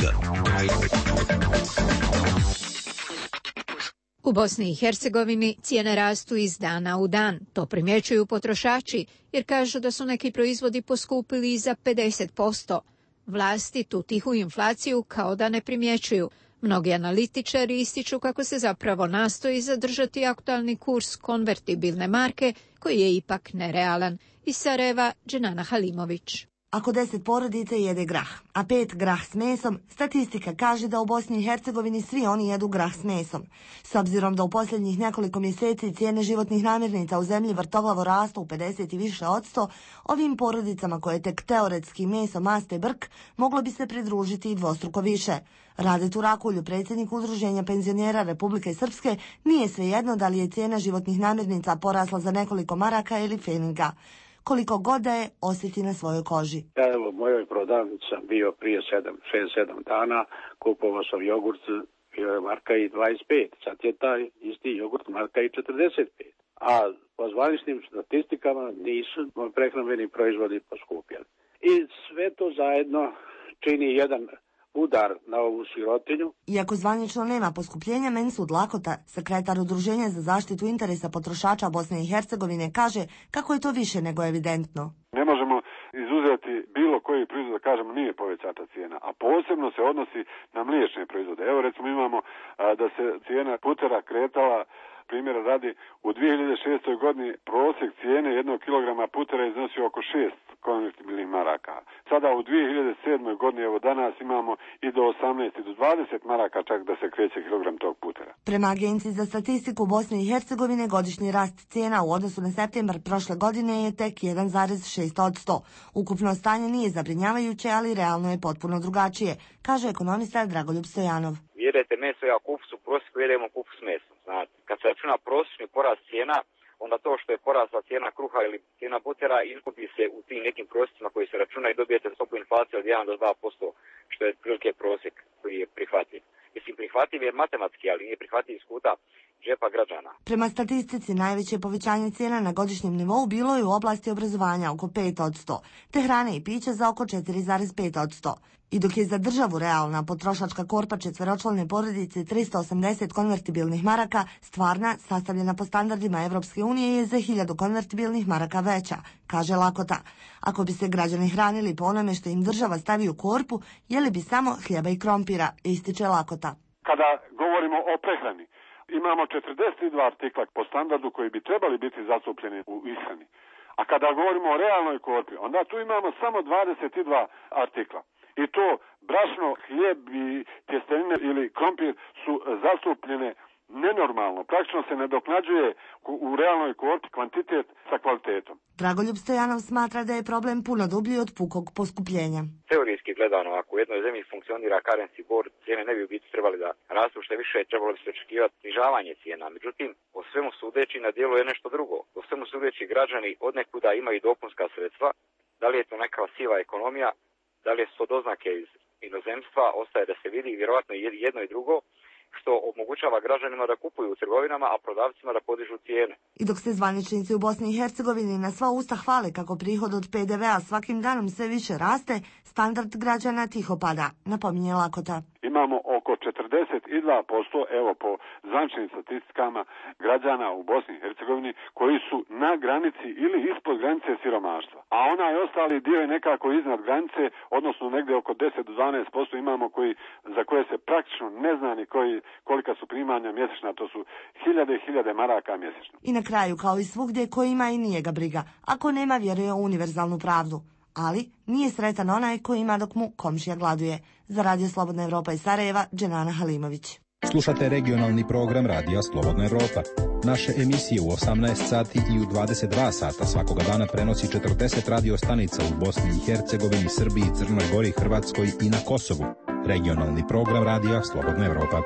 U Bosni i Hercegovini cijene rastu iz dana u dan. To primjećuju potrošači jer kažu da su neki proizvodi poskupili i za 50%. Vlasti tu tihu inflaciju kao da ne primjećuju. Mnogi analitičari ističu kako se zapravo nastoji zadržati aktualni kurs konvertibilne marke koji je ipak nerealan. Iz Sarajeva, Dženana Halimović. Ako 10 porodica jede grah, a 5 grah s mesom, statistika kaže da u Bosni i Hercegovini svi oni jedu grah s mesom. S obzirom da u posljednjih nekoliko mjeseci cijene životnih namirnica u zemlji vrtoglavo rastu u 50 i više %, ovim porodicama koje tek teoretski meso, mast i brk, moglo bi se pridružiti i dvostruko više. Rade Turakulju, predsjednik Udruženja penzionera Republike Srpske, nije svejedno da li je cijena životnih namirnica porasla za nekoliko maraka ili feninga. Koliko god da je osjeti na svojoj koži. Ja evo, u mojoj prodavnici sam bio prije 6-7 dana, kupovao sam jogurt, bio je marka i 25, sad je taj isti jogurt marka i 45. A po zvaničnim statistikama nisu prehrambeni proizvodi poskupjeli. I sve to zajedno čini jedan udar na ovu sirotinju. Iako zvanično nema poskupljenja, Mensud Lakota, sekretar Udruženja za zaštitu interesa potrošača Bosne i Hercegovine, kaže kako je to više nego evidentno. Ne možemo izuzeti bilo koji proizvod da kažemo nije povećata cijena, a posebno se odnosi na mliječne proizvode. Evo recimo imamo da se cijena putera kretala, primjera radi, u 2006. godini prosjek cijene 1 kilograma putera iznosio oko 6 konvertibilnih maraka. Sada u 2007. godini, evo danas imamo i do 18 i do 20 maraka čak da se kreće kilogram tog putera. Prema Agenciji za statistiku Bosne i Hercegovine godišnji rast cijena u odnosu na septembar prošle godine je tek 1,6%. Ukupno stanje nije zabrinjavajuće, ali realno je potpuno drugačije, kaže ekonomista Dragoljub Stojanov. Jedete meso, ja kupus u prosjeku jedemo kupus meso. Znate, kad se računa prosječni porast cijena, onda to što je porasla cijena kruha ili cijena putera izgubi se u tim nekim prosjecima koji se računaju i dobijete stopu inflacije od 1 do 2%, što je prilike prosjek koji je prihvatljiv. Mislim, prihvatljiv je matematski, ali nije prihvatljiv iz kuta džepa građana. Prema statistici, najveće povećanje cijena na godišnjem nivou bilo je u oblasti obrazovanja oko 5%, te hrane i pića za oko 4,5%. I dok je za državu realna potrošačka korpa četveročlane porodice 380 konvertibilnih maraka, stvarna, sastavljena po standardima Evropske unije, je za 1000 konvertibilnih maraka veća, kaže Lakota. Ako bi se građani hranili po onome što im država stavi u korpu, jeli bi samo hljeba i krompira, ističe Lakota. Kada govorimo o prehrani, imamo 42 artikla po standardu koji bi trebali biti zastupljeni u ishrani. A kada govorimo o realnoj korpi, onda tu imamo samo 22 artikla. I to brašno, hljeb i tjestenine ili krompir su zastupljene nenormalno. Praktično se nadoknađuje u realnoj korpi kvantitet sa kvalitetom. Dragoljub Stojanov smatra da je problem puno dublji od pukog poskupljenja. Teorijski gledano, ako u jednoj zemlji funkcionira currency board, cijene ne bi u biti trebali da rastu, što više trebalo bi se očekivati snižavanje cijena. Međutim, po svemu sudeći na djelu je nešto drugo. Po svemu sudeći građani odnekuda imaju dopunska sredstva, da li je to neka siva ekonomija, da li su to doznake iz inozemstva, ostaje da se vidi vjerojatno jedno i drugo, što omogućava građanima da kupuju u trgovinama, a prodavcima da podižu cijene. I dok se zvaničnici u Bosni i Hercegovini na sva usta hvale kako prihod od PDV-a svakim danom sve više raste, standard građana tiho pada, napominje Lakota. Imamo oko 42%, evo po zvaničnim statistikama, građana u Bosni i Hercegovini koji su na granici ili ispod granice siromaštva. A onaj ostali dio je nekako iznad granice, odnosno negdje oko 10 do 12% imamo za koje se praktično ne zna ni kolika su primanja mjesečna, to su hiljade i hiljade maraka mjesečno. I na kraju, kao i svugdje, ko ima i nije ga briga, ako nema vjeruje u univerzalnu pravdu. Ali nije sretan onaj koji ima dok mu komšija gladuje. Za Radio Slobodna Evropa iz Sarajeva, Dženana Halimović. Slušate regionalni program Radija Slobodna Evropa. Naše emisije u 18 sati i u 22 sata svakoga dana prenosi 40 radio stanica u Bosni i Hercegovini, Srbiji, Crnoj Gori, Hrvatskoj i na Kosovu. Regionalni program Radija Slobodna Evropa.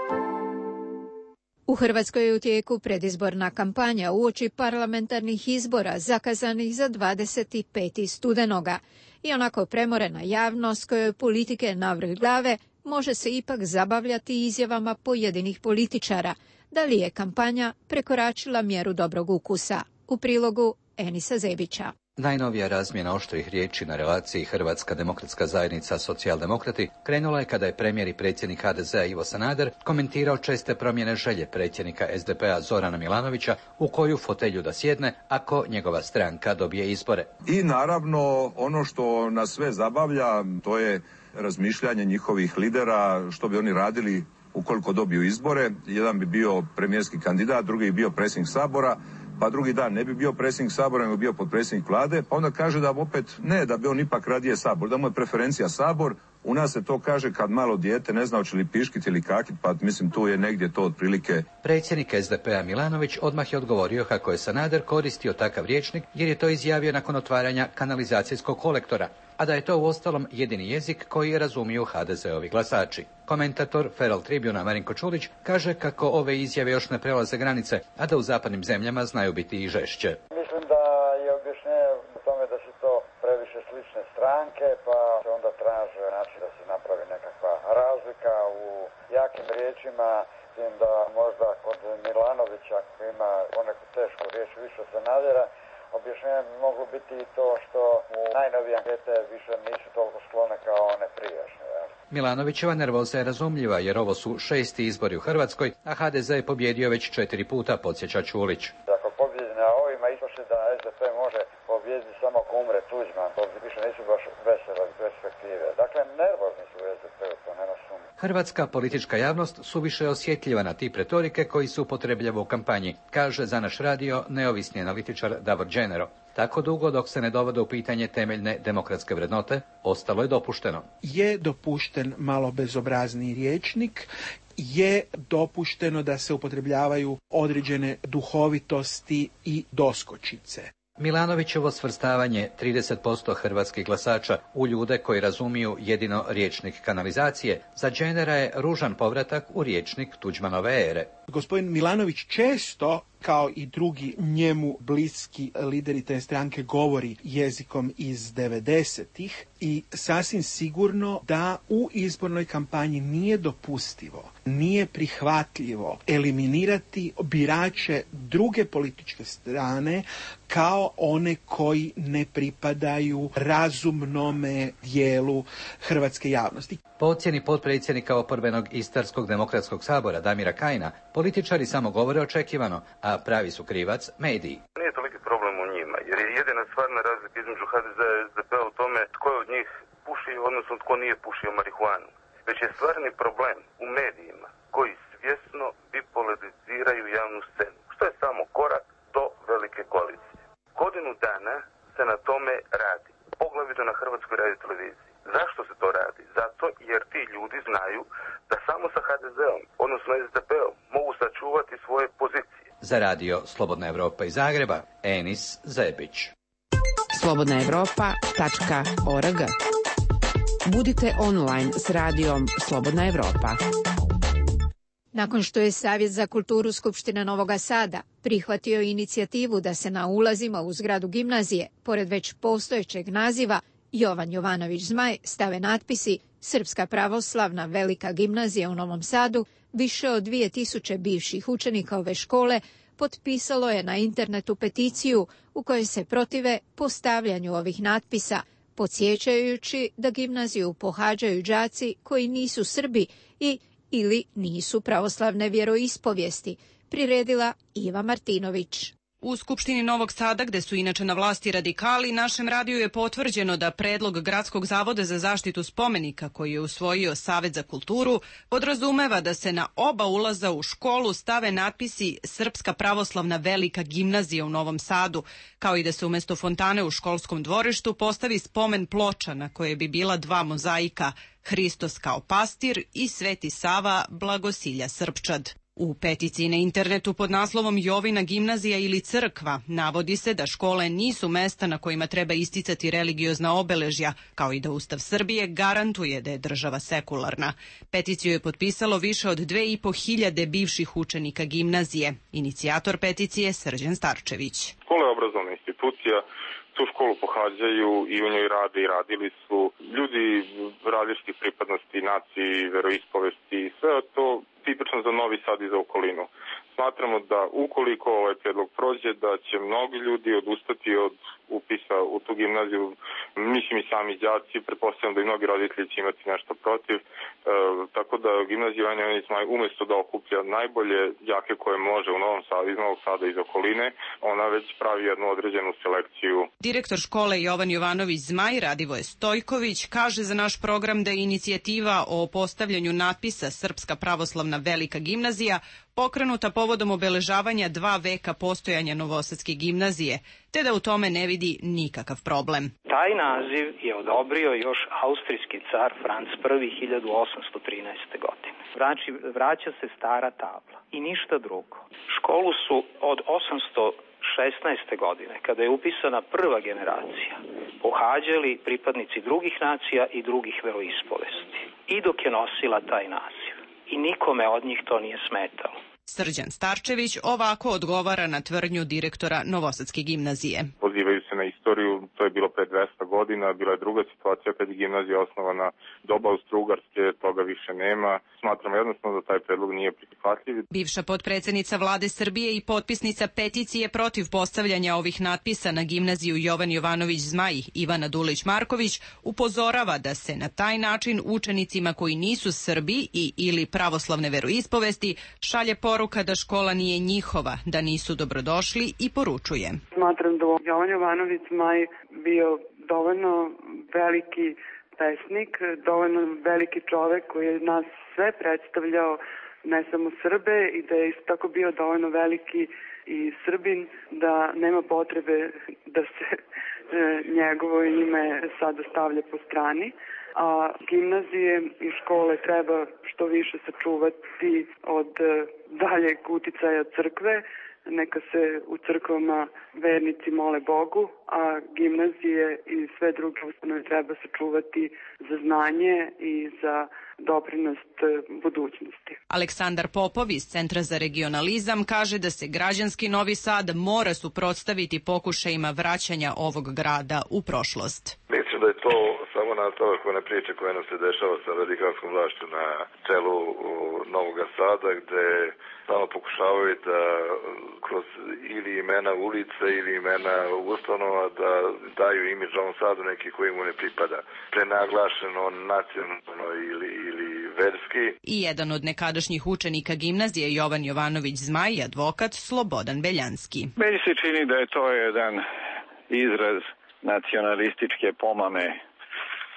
U Hrvatskoj je u tijeku predizborna kampanja uoči parlamentarnih izbora zakazanih za 25. studenoga. I onako premorena javnost kojoj politike navrh glave može se ipak zabavljati izjavama pojedinih političara. Da li je kampanja prekoračila mjeru dobrog ukusa? U prilogu Enisa Zebića. Najnovija razmjena oštrih riječi na relaciji Hrvatska demokratska zajednica socijaldemokrati krenula je kada je premijer i predsjednik HDZ-a Ivo Sanader komentirao česte promjene želje predsjednika SDP-a Zorana Milanovića u koju fotelju da sjedne ako njegova stranka dobije izbore. I naravno ono što nas sve zabavlja to je razmišljanje njihovih lidera što bi oni radili ukoliko dobiju izbore. Jedan bi bio premijerski kandidat, drugi bi bio predsjednik Sabora, pa drugi dan ne bi bio predsjednik Sabora, nego bio potpredsjednik vlade, pa onda kaže da opet ne, da bi on ipak radije Sabor, da mu je preferencija Sabor. U nas se to kaže kad malo dijete ne zna hoće li piškiti ili kakit, pa mislim tu je negdje to otprilike. Predsjednik SDP-a Milanović odmah je odgovorio kako je Sanader koristio takav rječnik jer je to izjavio nakon otvaranja kanalizacijskog kolektora, a da je to uostalom jedini jezik koji je razumiju HDZ-ovi glasači. Komentator Feral Tribuna Marinko Čulić kaže kako ove izjave još ne prelaze granice, a da u zapadnim zemljama znaju biti i žešće. Mislim da je objašnjenje u tome da su to previše slične stranke, pa se onda traže način da se napravi nekakva razlika u jakim riječima, s tim da možda kod Milanovića koji ima poneku tešku riječ više od Sanadera, objašnjenje bi moglo biti i to što u najnovije ankete više nisu toliko sklone kao one prijašnje. Milanovićeva nervoza je razumljiva jer ovo su 6. izbori u Hrvatskoj, a HDZ je pobjedio već 4 puta, podsjeća Čulić. Ako pobjedi na ovima, ispošli da SDP može pobjediti samo ako umre Tuđman, to više nisu baš vesele perspektive. Dakle, nervozni su u SDP-u, to nema sumnje. Hrvatska politička javnost suviše osjetljiva na tip retorike koji se upotrebljava u kampanji, kaže za naš radio neovisni analitičar Davor Đenero. Tako dugo dok se ne dovode u pitanje temeljne demokratske vrednote, ostalo je dopušteno. Je dopušten malo bezobrazni rječnik, je dopušteno da se upotrebljavaju određene duhovitosti i doskočice. Milanovićevo svrstavanje 30% hrvatskih glasača u ljude koji razumiju jedino rječnik kanalizacije za Đenera je ružan povratak u rječnik Tuđmanove ere. Gospodin Milanović često, kao i drugi njemu bliski lideri te stranke, govori jezikom iz 90-ih i sasvim sigurno da u izbornoj kampanji nije dopustivo, nije prihvatljivo eliminirati birače druge političke strane kao one koji ne pripadaju razumnome dijelu hrvatske javnosti. Po ocjeni potpredsjednika oporbenog Istarskog demokratskog sabora Damira Kajina, političari samo govore očekivano, a pravi su krivac mediji. Nije toliki problem u njima, jer je jedina stvarna razlika između HDZ-a i SDP-a u tome tko je od njih puši, odnosno tko nije pušio marihuanu. Već je stvarni problem u medijima koji svjesno bipolariziraju javnu scenu, što je samo korak do velike koalicije. Godinu dana se na tome radi, poglavito na Hrvatskoj radioteleviziji. Zašto se to radi? Zato jer ti ljudi znaju da samo sa HDZ-om, odnosno SDP-om, mogu sačuvati čuvati svoje pozicije. Za radio Slobodna Evropa iz Zagreba, Enis Zebić. slobodnaevropa.org. Budite online s radijom Slobodna Evropa. Nakon što je Savjet za kulturu Skupštine Novog Sada prihvatio inicijativu da se na ulazima u zgradu gimnazije, pored već postojećeg naziva Jovan Jovanović Zmaj, stave natpisi Srpska pravoslavna velika gimnazija u Novom Sadu, više od 2000 bivših učenika ove škole potpisalo je na internetu peticiju u kojoj se protive postavljanju ovih natpisa, podsjećajući da gimnaziju pohađaju đaci koji nisu Srbi ili nisu pravoslavne vjeroispovijesti, priredila Iva Martinović. U Skupštini Novog Sada, gde su inače na vlasti radikali, našem radiju je potvrđeno da predlog Gradskog zavoda za zaštitu spomenika, koji je usvojio Savet za kulturu, podrazumeva da se na oba ulaza u školu stave natpisi Srpska pravoslavna velika gimnazija u Novom Sadu, kao i da se umjesto fontane u školskom dvorištu postavi spomen ploča na koje bi bila dva mozaika, Hristos kao pastir i Sveti Sava Blagosilja Srpčad. U peticiji na internetu pod naslovom Jovina gimnazija ili crkva navodi se da škole nisu mesta na kojima treba isticati religiozna obeležja, kao i da Ustav Srbije garantuje da je država sekularna. Peticiju je potpisalo više od 2500 bivših učenika gimnazije. Inicijator peticije Srđan Starčević. Škola je obrazovna institucija, tu školu pohađaju i u njoj rade i radili su ljudi različitih pripadnosti, naciji, veroispovesti i sve to tipično za Novi Sad i za okolinu. Smatramo da ukoliko ovaj predlog prođe, da će mnogi ljudi odustati od upisa u tu gimnaziju, mislim i sami đaci, pretpostavljam da i mnogi roditelji će imati nešto protiv, tako da gimnazija Jovan Jovanović Zmaj umjesto da okuplja najbolje đake koje može u Novom Sadu, iz Novog Sada i iz okoline, ona već pravi jednu određenu selekciju. Direktor škole Jovan Jovanović Zmaj, Radivoje Stojković, kaže za naš program da je inicijativa o postavljanju natpisa Srpska pravoslavna velika gimnazija pokrenuta povodom obeležavanja 2 veka postojanja Novosadske gimnazije, te da u tome ne vidi nikakav problem. Taj naziv je odobrio još austrijski car Franc I 1813. godine. Znači, vraća se stara tabla i ništa drugo. Školu su od 816. godine, kada je upisana prva generacija, pohađali pripadnici drugih nacija i drugih veroispovesti. I dok je nosila taj naziv. I nikome od njih to nije smetalo. Srđan Starčević ovako odgovara na tvrdnju direktora Novosadske gimnazije. Pozivaju se na istoriju, to je bilo pre 200 godina, bila je druga situacija kad je gimnazija osnovana doba Austro-Ugarske, toga više nema. Smatramo jednostavno da taj predlog nije prihvatljiv. Bivša potpredsjednica Vlade Srbije i potpisnica peticije protiv postavljanja ovih natpisa na gimnaziju Jovan Jovanović Zmaj, Ivana Dulić-Marković, upozorava da se na taj način učenicima koji nisu Srbi ili pravoslavne veroispovesti šalje poruka da škola nije njihova, da nisu dobrodošli i poručuje. Smatram da Jovan Jovanović Zmaj bio dovoljno veliki pesnik, dovoljno veliki čovek koji je nas sve predstavljao, ne samo Srbe, i da je isto tako bio dovoljno veliki i Srbin, da nema potrebe da se njegovo ime sada stavlja po strani. A gimnazije i škole treba što više sačuvati od daljeg uticaja crkve. Neka se u crkvama vernici mole Bogu, a gimnazije i sve druge ustanove treba sačuvati za znanje i za doprinost budućnosti. Aleksandar Popov iz Centra za regionalizam kaže da se građanski Novi Sad mora suprotstaviti pokušajima vraćanja ovog grada u prošlost. Mislim da je to samo nastavak one priče koje nam se dešava sa radikalskom vlašću na čelu Novog Sada, gde samo pokušavaju da kroz ili imena ulice ili imena ustanova da daju imidž Novom Sadu neki koji mu ne pripada. Prenaglašeno, nacionalno ili verski. I jedan od nekadašnjih učenika gimnazije Jovan Jovanović Zmaj, advokat Slobodan Beljanski. Meni se čini da je to jedan izraz nacionalističke pomame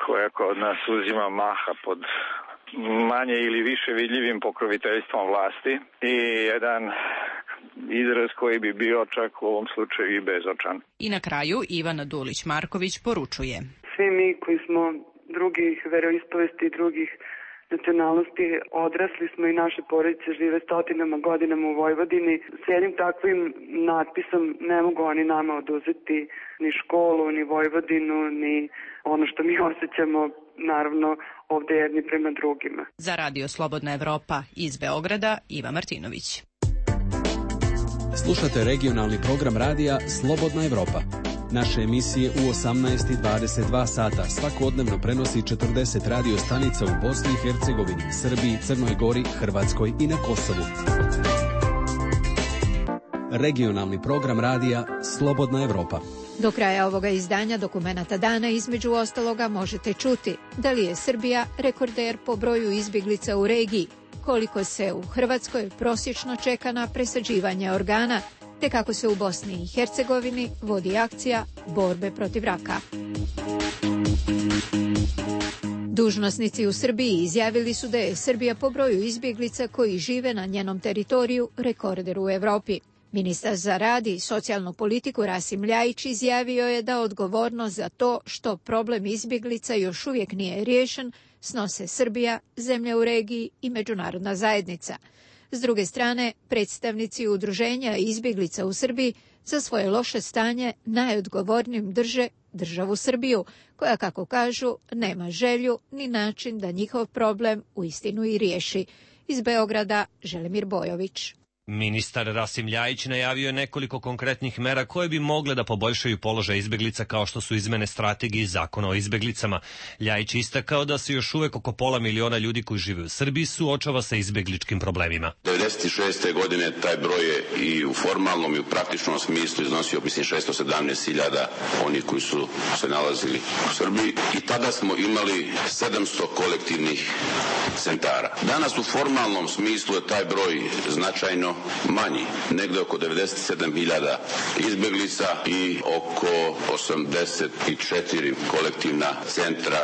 koja kod nas uzima maha pod manje ili više vidljivim pokroviteljstvom vlasti i jedan izraz koji bi bio čak u ovom slučaju i bezočan. I na kraju Ivana Dulić-Marković poručuje. Svi mi koji smo drugih veroispovesti i drugih nacionalnosti, odrasli smo i naše porodice žive stotinama godinama u Vojvodini. S jednim takvim natpisom ne mogu oni nama oduzeti ni školu, ni Vojvodinu, ni ono što mi osjećamo, naravno, ovde jedni prema drugima. Za Radio Slobodna Evropa iz Beograda, Iva Martinović. Slušate regionalni program radija Slobodna Evropa. Naše emisije u 18 i 22 sata svakodnevno prenosi 40 radio stanica u Bosni i Hercegovini, Srbiji, Crnoj Gori, Hrvatskoj i na Kosovu. Regionalni program radija Slobodna Evropa. Do kraja ovoga izdanja Dokumenata dana između ostaloga možete čuti da li je Srbija rekorder po broju izbjeglica u regiji, koliko se u Hrvatskoj prosječno čeka na presađivanje organa, te kako se u Bosni i Hercegovini vodi akcija borbe protiv raka. Dužnosnici u Srbiji izjavili su da je Srbija po broju izbjeglica koji žive na njenom teritoriju rekorder u Evropi. Ministar za rad i socijalnu politiku Rasim Ljajić izjavio je da odgovornost za to što problem izbjeglica još uvijek nije riješen snose Srbija, zemlje u regiji i međunarodna zajednica. S druge strane, predstavnici udruženja izbjeglica u Srbiji za svoje loše stanje najodgovornijim drže državu Srbiju, koja, kako kažu, nema želju ni način da njihov problem uistinu i riješi. Iz Beograda, Želimir Bojović. Ministar Rasim Ljajić najavio je nekoliko konkretnih mera koje bi mogle da poboljšaju položaj izbeglica kao što su izmene strategije i zakona o izbeglicama. Ljajić istakao da se još uvek oko 500 000 ljudi koji žive u Srbiji suočava sa izbegličkim problemima. 1996. godine taj broj je i u formalnom i u praktičnom smislu iznosio 617.000 onih koji su se nalazili u Srbiji i tada smo imali 700 kolektivnih centara. Danas u formalnom smislu je taj broj značajno manji, negde oko 97.000 izbeglica i oko 84 kolektivna centra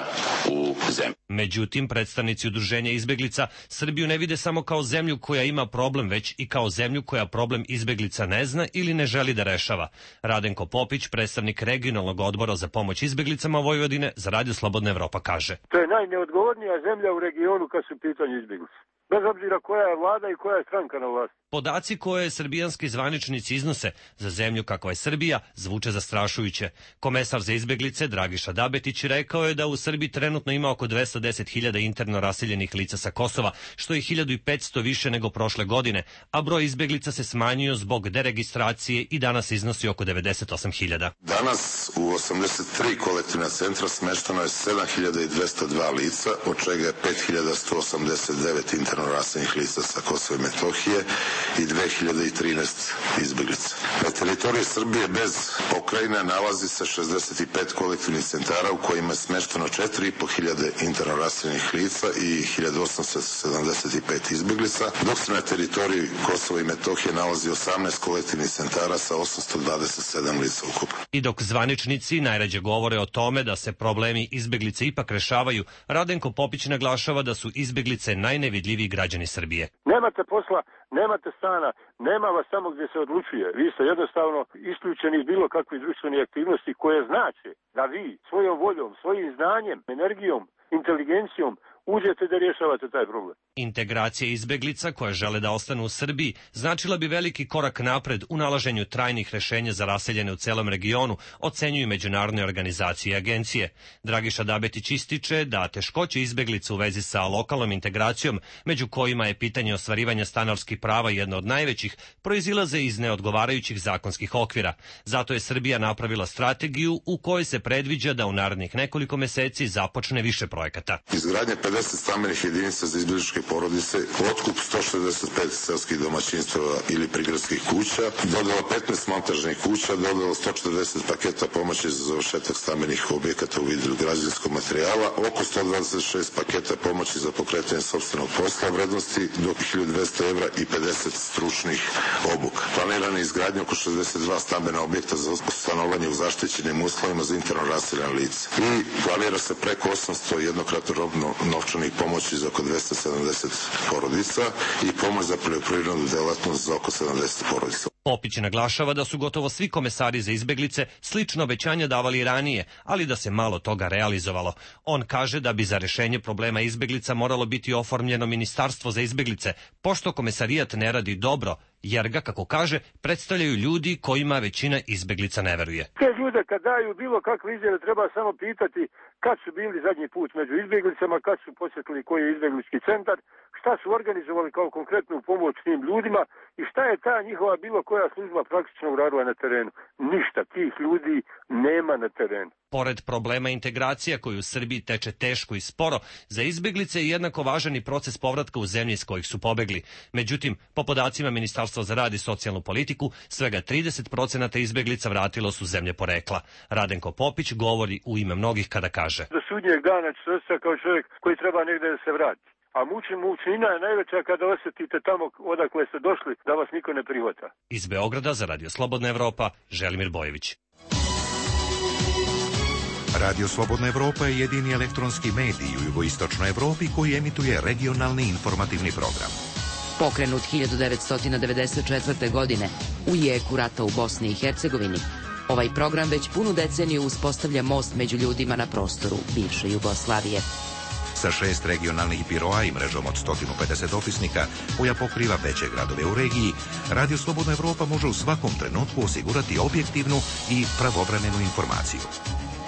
u zemlji. Međutim, predstavnici udruženja izbeglica Srbiju ne vide samo kao zemlju koja ima problem, već i kao zemlju koja problem izbeglica ne zna ili ne želi da rešava. Radenko Popić, predstavnik regionalnog odbora za pomoć izbeglicama Vojvodine, za Radio Slobodna Evropa kaže: To je najneodgovornija zemlja u regionu kad su pitanje izbeglice. Bez obzira koja je vlada i koja je stranka na vlasti. Podaci koje srbijanski zvaničnici iznose za zemlju kakva je Srbija zvuče zastrašujuće. Komesar za izbeglice Dragiša Dabetić rekao je da u Srbiji trenutno ima oko 210.000 interno raseljenih lica sa Kosova, što je 1.500 više nego prošle godine, a broj izbeglica se smanjio zbog deregistracije i danas iznosi oko 98.000. Danas u 83 kolektivna centra smešteno je 7.202 lica, od čega je 5.189 interno raseljenih lica sa Kosova i Metohije i 2013 izbeglica. Na teritoriji Srbije bez pokrajine nalazi se 65 kolektivnih centara u kojima je smešteno 4.500 interno raseljenih lica i 1875 izbeglica, dok se na teritoriji Kosova i Metohije nalazi 18 kolektivnih centara sa 827 lica ukupno. I dok zvaničnici najrađe govore o tome da se problemi izbeglice ipak rešavaju, Radenko Popić naglašava da su izbeglice najnevidljiviji građani Srbije. Nemate posla, nemate stana, nema vas tamo gdje se odlučuje. Vi ste jednostavno isključeni iz bilo kakve društvene aktivnosti koje znače da vi svojom voljom, svojim znanjem, energijom, inteligencijom uđete da rješavate taj problem. Integracija izbeglica koje žele da ostanu u Srbiji značila bi veliki korak napred u nalaženju trajnih rešenja za raseljene u celom regionu, ocenjuju međunarodne organizacije i agencije. Dragiša Dabetić ističe da teškoće izbeglica u vezi sa lokalnom integracijom, među kojima je pitanje ostvarivanja stanarskih prava jedno od najvećih, proizilaze iz neodgovarajućih zakonskih okvira. Zato je Srbija napravila strategiju u kojoj se predviđa da u narednih nekoliko meseci započne više projekata. Izgradnja 50 stambenih jedinica za izbegličke porodice, otkup 165 selskih domaćinstava ili prigradskih kuća, dodala 15 montažnih kuća, dodala 140 paketa pomoći za završetak stambenih objekata u vidu građevinskog materijala, oko 126 paketa pomoći za pokretanje sopstvenog posla vrednosti do 1.200 evra i 50 stručnih obuka. Planirana je izgradnja oko 62 stambena objekta za stanovanje u zaštićenim uslovima za interno raseljena lica. I planira se preko 800 jednokratno robno novčanih pomoći za oko 270 porodica i pomoć za poljoprivrednu delatnost za oko 70 porodica. Popić naglašava da su gotovo svi komesari za izbeglice slično obećanja davali ranije, ali da se malo toga realizovalo. On kaže da bi za rešenje problema izbeglica moralo biti oformljeno ministarstvo za izbeglice, pošto komesarijat ne radi dobro, jer ga, kako kaže, predstavljaju ljudi kojima većina izbeglica ne veruje. Te ljude kad daju bilo kakve izjave treba samo pitati kad su bili zadnji put među izbeglicama, kad su posjetili koji je izbeglički centar, šta su organizovali kao konkretnu pomoć tim ljudima i šta je ta njihova bilo koja služba praktično uradila na terenu. Ništa, tih ljudi nema na terenu. Pored problema integracija koji u Srbiji teče teško i sporo, za izbeglice je jednako važan i proces povratka u zemlje iz kojih su pobegli. Međutim, po podacima Ministarstva za rad i socijalnu politiku, svega 30% izbeglica vratilo su zemlje porekla. Radenko Popić govori u ime mnogih kada kaže: Do sudnjeg dana će se osjećati kao čovjek koji treba negdje da se vrati. A mučnina je najveća kada osjetite tamo odakle ste došli da vas niko ne prihvata. Iz Beograda za Radio Slobodna Evropa, Želimir Bojević. Radio Slobodna Evropa je jedini elektronski medij u jugoistočnoj Evropi koji emituje regionalni informativni program. Pokrenut 1994. godine u jeku rata u Bosni i Hercegovini, ovaj program već punu deceniju uspostavlja most među ljudima na prostoru bivše Jugoslavije. Sa 6 regionalnih biroa i mrežom od 150 opisnika koja pokriva veće gradove u regiji, Radio Slobodna Evropa može u svakom trenutku osigurati objektivnu i pravovremenu informaciju.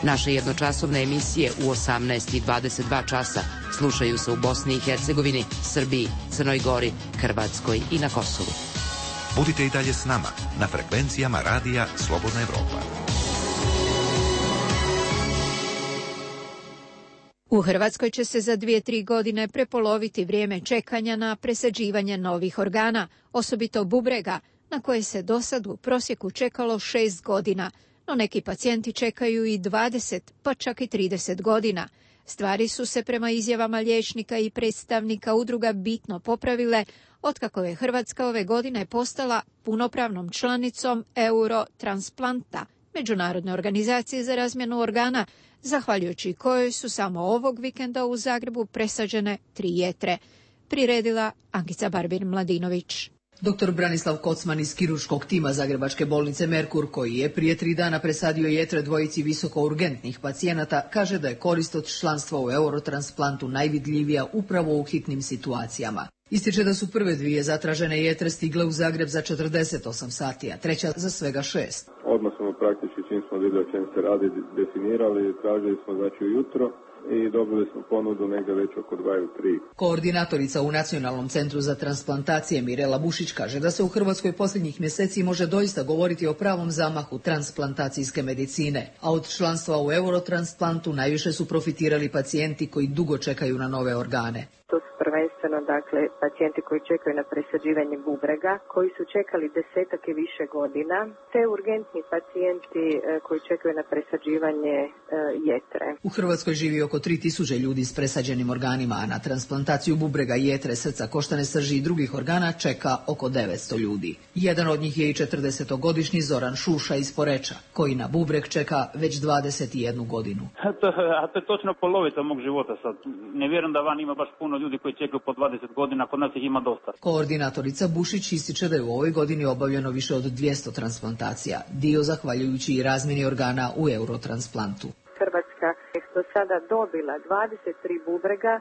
Naše jednočasovne emisije u 18 i 22 časa slušaju se u Bosni i Hercegovini, Srbiji, Crnoj Gori, Hrvatskoj i na Kosovu. Budite i dalje s nama na frekvencijama Radija Slobodna Evropa. U Hrvatskoj će se za 2-3 godine prepoloviti vrijeme čekanja na presađivanje novih organa, osobito bubrega, na koje se do sad u prosjeku čekalo 6 godina, no neki pacijenti čekaju i 20, pa čak i 30 godina. Stvari su se prema izjavama liječnika i predstavnika udruga bitno popravile otkako je Hrvatska ove godine postala punopravnom članicom Eurotransplanta, međunarodne organizacije za razmjenu organa, zahvaljujući kojoj su samo ovog vikenda u Zagrebu presađene 3 jetre. Priredila Ankica Barbir-Mladinović. Dr. Branislav Kocman iz kirurškog tima Zagrebačke bolnice Merkur, koji je prije 3 dana presadio jetre dvojici visokourgentnih pacijenata, kaže da je korist od članstva u Eurotransplantu najvidljivija upravo u hitnim situacijama. Ističe da su prve 2 zatražene jetre stigle u Zagreb za 48 sati, a treća za svega 6. Odmah smo praktički, čim smo vidjeli o čem se radi, definirali, tražili smo znači ujutro i dobili smo ponudu negdje već oko 2-3. Koordinatorica u Nacionalnom centru za transplantacije Mirela Bušić kaže da se u Hrvatskoj posljednjih mjeseci može doista govoriti o pravom zamahu transplantacijske medicine, a od članstva u Eurotransplantu najviše su profitirali pacijenti koji dugo čekaju na nove organe. To su prvenstveno pacijenti koji čekaju na presađivanje bubrega, koji su čekali 10 i više godina, te urgentni pacijenti koji čekaju na presađivanje jetre. U Hrvatskoj živi oko 3000 ljudi s presađenim organima, a na transplantaciju bubrega, jetre, srca, koštane srži i drugih organa čeka oko 900 ljudi. Jedan od njih je i 40-godišnji Zoran Šuša iz Poreča, koji na bubreg čeka već 21 godinu. To je točno polovica mog života sad. Ne vjerujem da van ima baš puno ljudi koji čekaju po 20 godina, kod nas ih ima dosta. Koordinatorica Bušić ističe da je u ovoj godini obavljeno više od 200 transplantacija, dio zahvaljujući i razmjeni organa u Eurotransplantu. Hrvatska je do sada dobila 23 bubrega,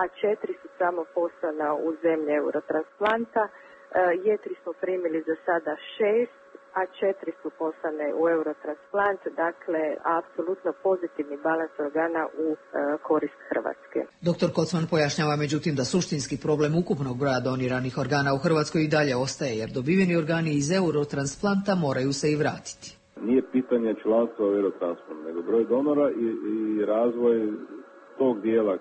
a 4 su samo poslana u zemlje Eurotransplanta. Jetri smo primili za sada 6, a 4 su poslane u Eurotransplant, dakle apsolutno pozitivni balans organa u korist Hrvatske. Dr. Kocman pojašnjava međutim da suštinski problem ukupnog broja doniranih organa u Hrvatskoj i dalje ostaje, jer dobiveni organi iz Eurotransplanta moraju se i vratiti. Nije pitanje članstva u Eurotransplantu, nego broj donora i razvoj tog dijela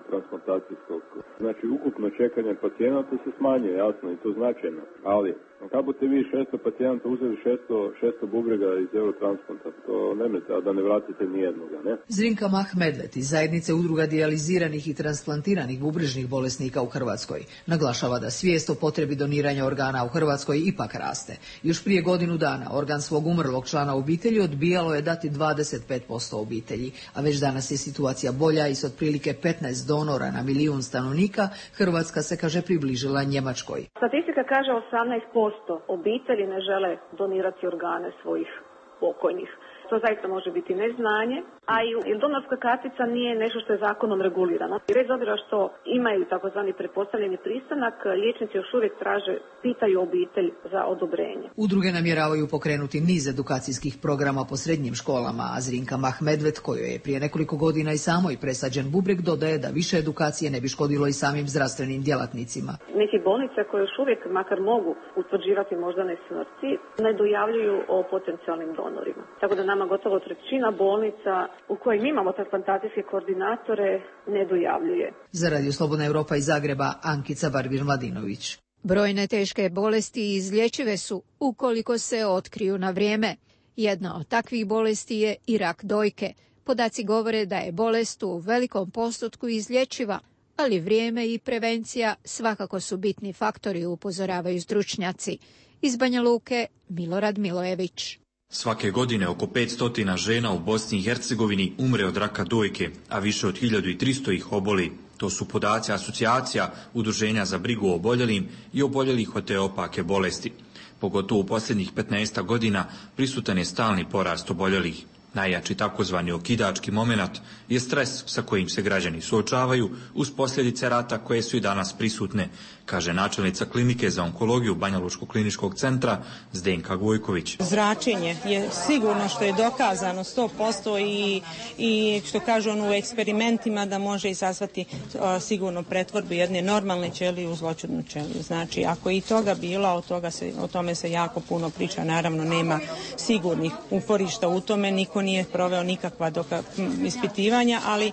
transplantacijskog. Znači, ukupno čekanje pacijenata se smanjuje, jasno, i to značajno. Ali, kako budete vi 600 pacijenata uzeli 600 bubrega iz Eurotransplanta, to nemojte, a da ne vratite nijednoga, ne? Zrinka Mah-Medved iz zajednice udruga dijaliziranih i transplantiranih bubrežnih bolesnika u Hrvatskoj naglašava da svijest o potrebi doniranja organa u Hrvatskoj ipak raste. Još prije godinu dana organ svog umrlog člana obitelji odbijalo je dati 25% obitelji, a već danas je situacija bolja i s otprilike 15 donora na milijun stanovnika, Hrvatska se, kaže, približila Njemačkoj. Statistika kaže 18% obitelji ne žele donirati organe svojih pokojnih. To zaista može biti neznanje, a i donorska kartica nije nešto što je zakonom regulirano. Bez obzira što imaju takozvani pretpostavljeni pristanak, liječnici još uvijek pitaju obitelj za odobrenje. Udruge namjeravaju pokrenuti niz edukacijskih programa po srednjim školama, a Zrinka Mahmedvet, kojoj je prije nekoliko godina i samoj presađen bubreg, dodaje da više edukacije ne bi škodilo i samim zdravstvenim djelatnicima. Neki bolnice koje još uvijek makar mogu utvrđivati moždane smrti ne dojavljuju o potencijalnim donorima. Tako da nama gotovo trećina bolnica u kojim imamo transplantacijske koordinatore ne dojavljuje. Za Radio Slobodna Europa iz Zagreba, Ankica Barbir-Mladinović. Brojne teške bolesti izlječive su ukoliko se otkriju na vrijeme. Jedna od takvih bolesti je i rak dojke. Podaci govore da je bolest u velikom postotku izlječiva, ali vrijeme i prevencija svakako su bitni faktori, upozoravaju stručnjaci. Iz Banja Luke, Milorad Milojević. Svake godine oko 500 žena u Bosni i Hercegovini umre od raka dojke, a više od 1300 ih oboli. To su podaci asocijacija Udruženja za brigu o oboljelim i oboljelih od te opake bolesti. Pogotovo u posljednjih 15 godina prisutan je stalni porast oboljelih. Najjači takozvani okidački momenat je stres sa kojim se građani suočavaju uz posljedice rata koje su i danas prisutne, kaže načelnica klinike za onkologiju Banjalučkog kliničkog centra Zdenka Gojković. Zračenje je sigurno, što je dokazano 100% i što kažu u eksperimentima da može izazvati sigurno pretvorbu jedne normalne ćelije u zloćudnu ćeliju. Znači, ako je i toga bilo, o tome se jako puno priča, naravno nema sigurnih uporišta u tome, niko nije proveo nikakva ispitivanja, ali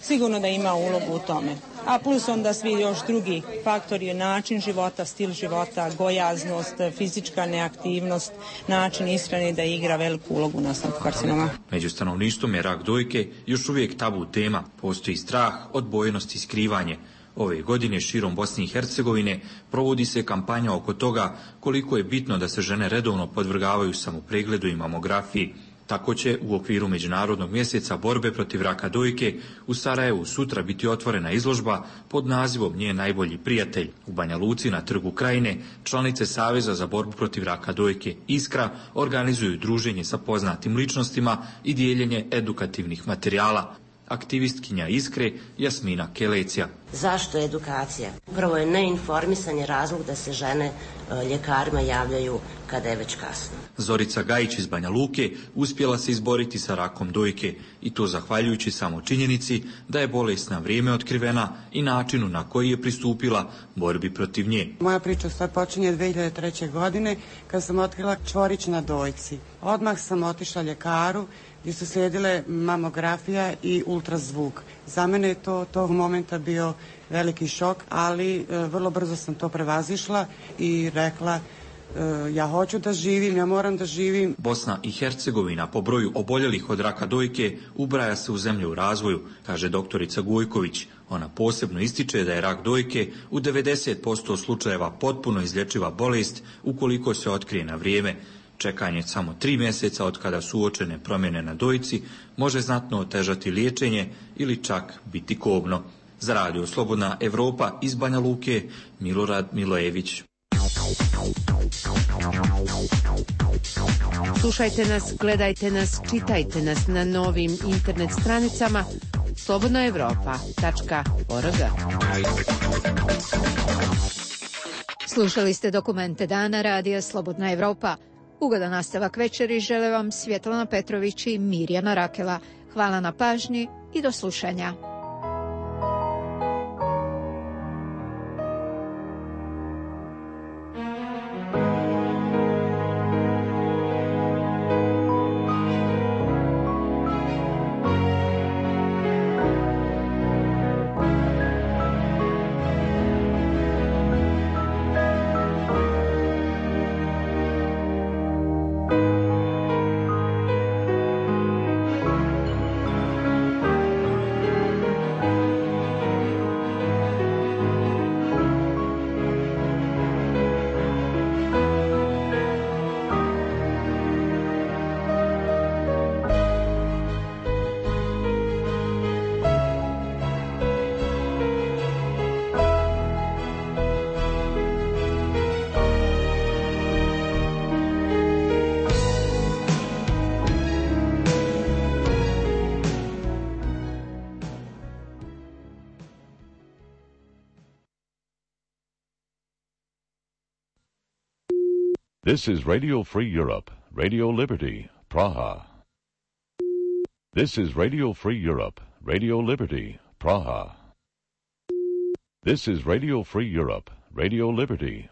sigurno da ima ulogu u tome. A plus onda svi još drugi faktori, način života, stil života, gojaznost, fizička neaktivnost, način ishrane da igra veliku ulogu u nastanku karcinoma. Među stanovništvom je rak dojke još uvijek tabu tema. Postoji strah, odbojnost i skrivanje. Ove godine širom Bosne i Hercegovine provodi se kampanja oko toga koliko je bitno da se žene redovno podvrgavaju samopregledu i mamografiji. Tako će u okviru Međunarodnog mjeseca borbe protiv raka dojke u Sarajevu sutra biti otvorena izložba pod nazivom Njen najbolji prijatelj. U Banja Luci na Trgu Krajine članice Saveza za borbu protiv raka dojke Iskra organizuju druženje sa poznatim ličnostima i dijeljenje edukativnih materijala. Aktivistkinja Iskre Jasmina Kelecija. Zašto edukacija? Prvo je neinformisanje razlog da se žene ljekarima javljaju kada je već kasno. Zorica Gajić iz Banja Luke uspjela se izboriti sa rakom dojke i to zahvaljujući samo činjenici da je bolest na vrijeme otkrivena i načinu na koji je pristupila borbi protiv nje. Moja priča sad počinje 2003. godine kad sam otkrila čvorić na dojci. Odmah sam otišla ljekaru gdje su slijedile mamografija i ultrazvuk. Za mene je to tog momenta bio veliki šok, ali vrlo brzo sam to prevazišla i rekla ja hoću da živim, ja moram da živim. Bosna i Hercegovina po broju oboljelih od raka dojke ubraja se u zemlje u razvoju, kaže doktorica Gojković. Ona posebno ističe da je rak dojke u 90% slučajeva potpuno izlječiva bolest ukoliko se otkrije na vrijeme. Čekanje samo 3 mjeseca od kada su uočene promjene na dojci može znatno otežati liječenje ili čak biti kobno. Za Radio Slobodna Evropa iz Banja Luke, Milorad Milojević. Slušajte nas, gledajte nas, čitajte nas na novim internet stranicama slobodnaevropa.org. Slušali ste Dokumente dana Radija Slobodna Evropa. Ugodan nastavak večeri žele vam Svjetlana Petrović i Mirjana Rakela. Hvala na pažnji i do slušanja. This is Radio Free Europe, Radio Liberty, Praha. This is Radio Free Europe, Radio Liberty, Praha. This is Radio Free Europe, Radio Liberty,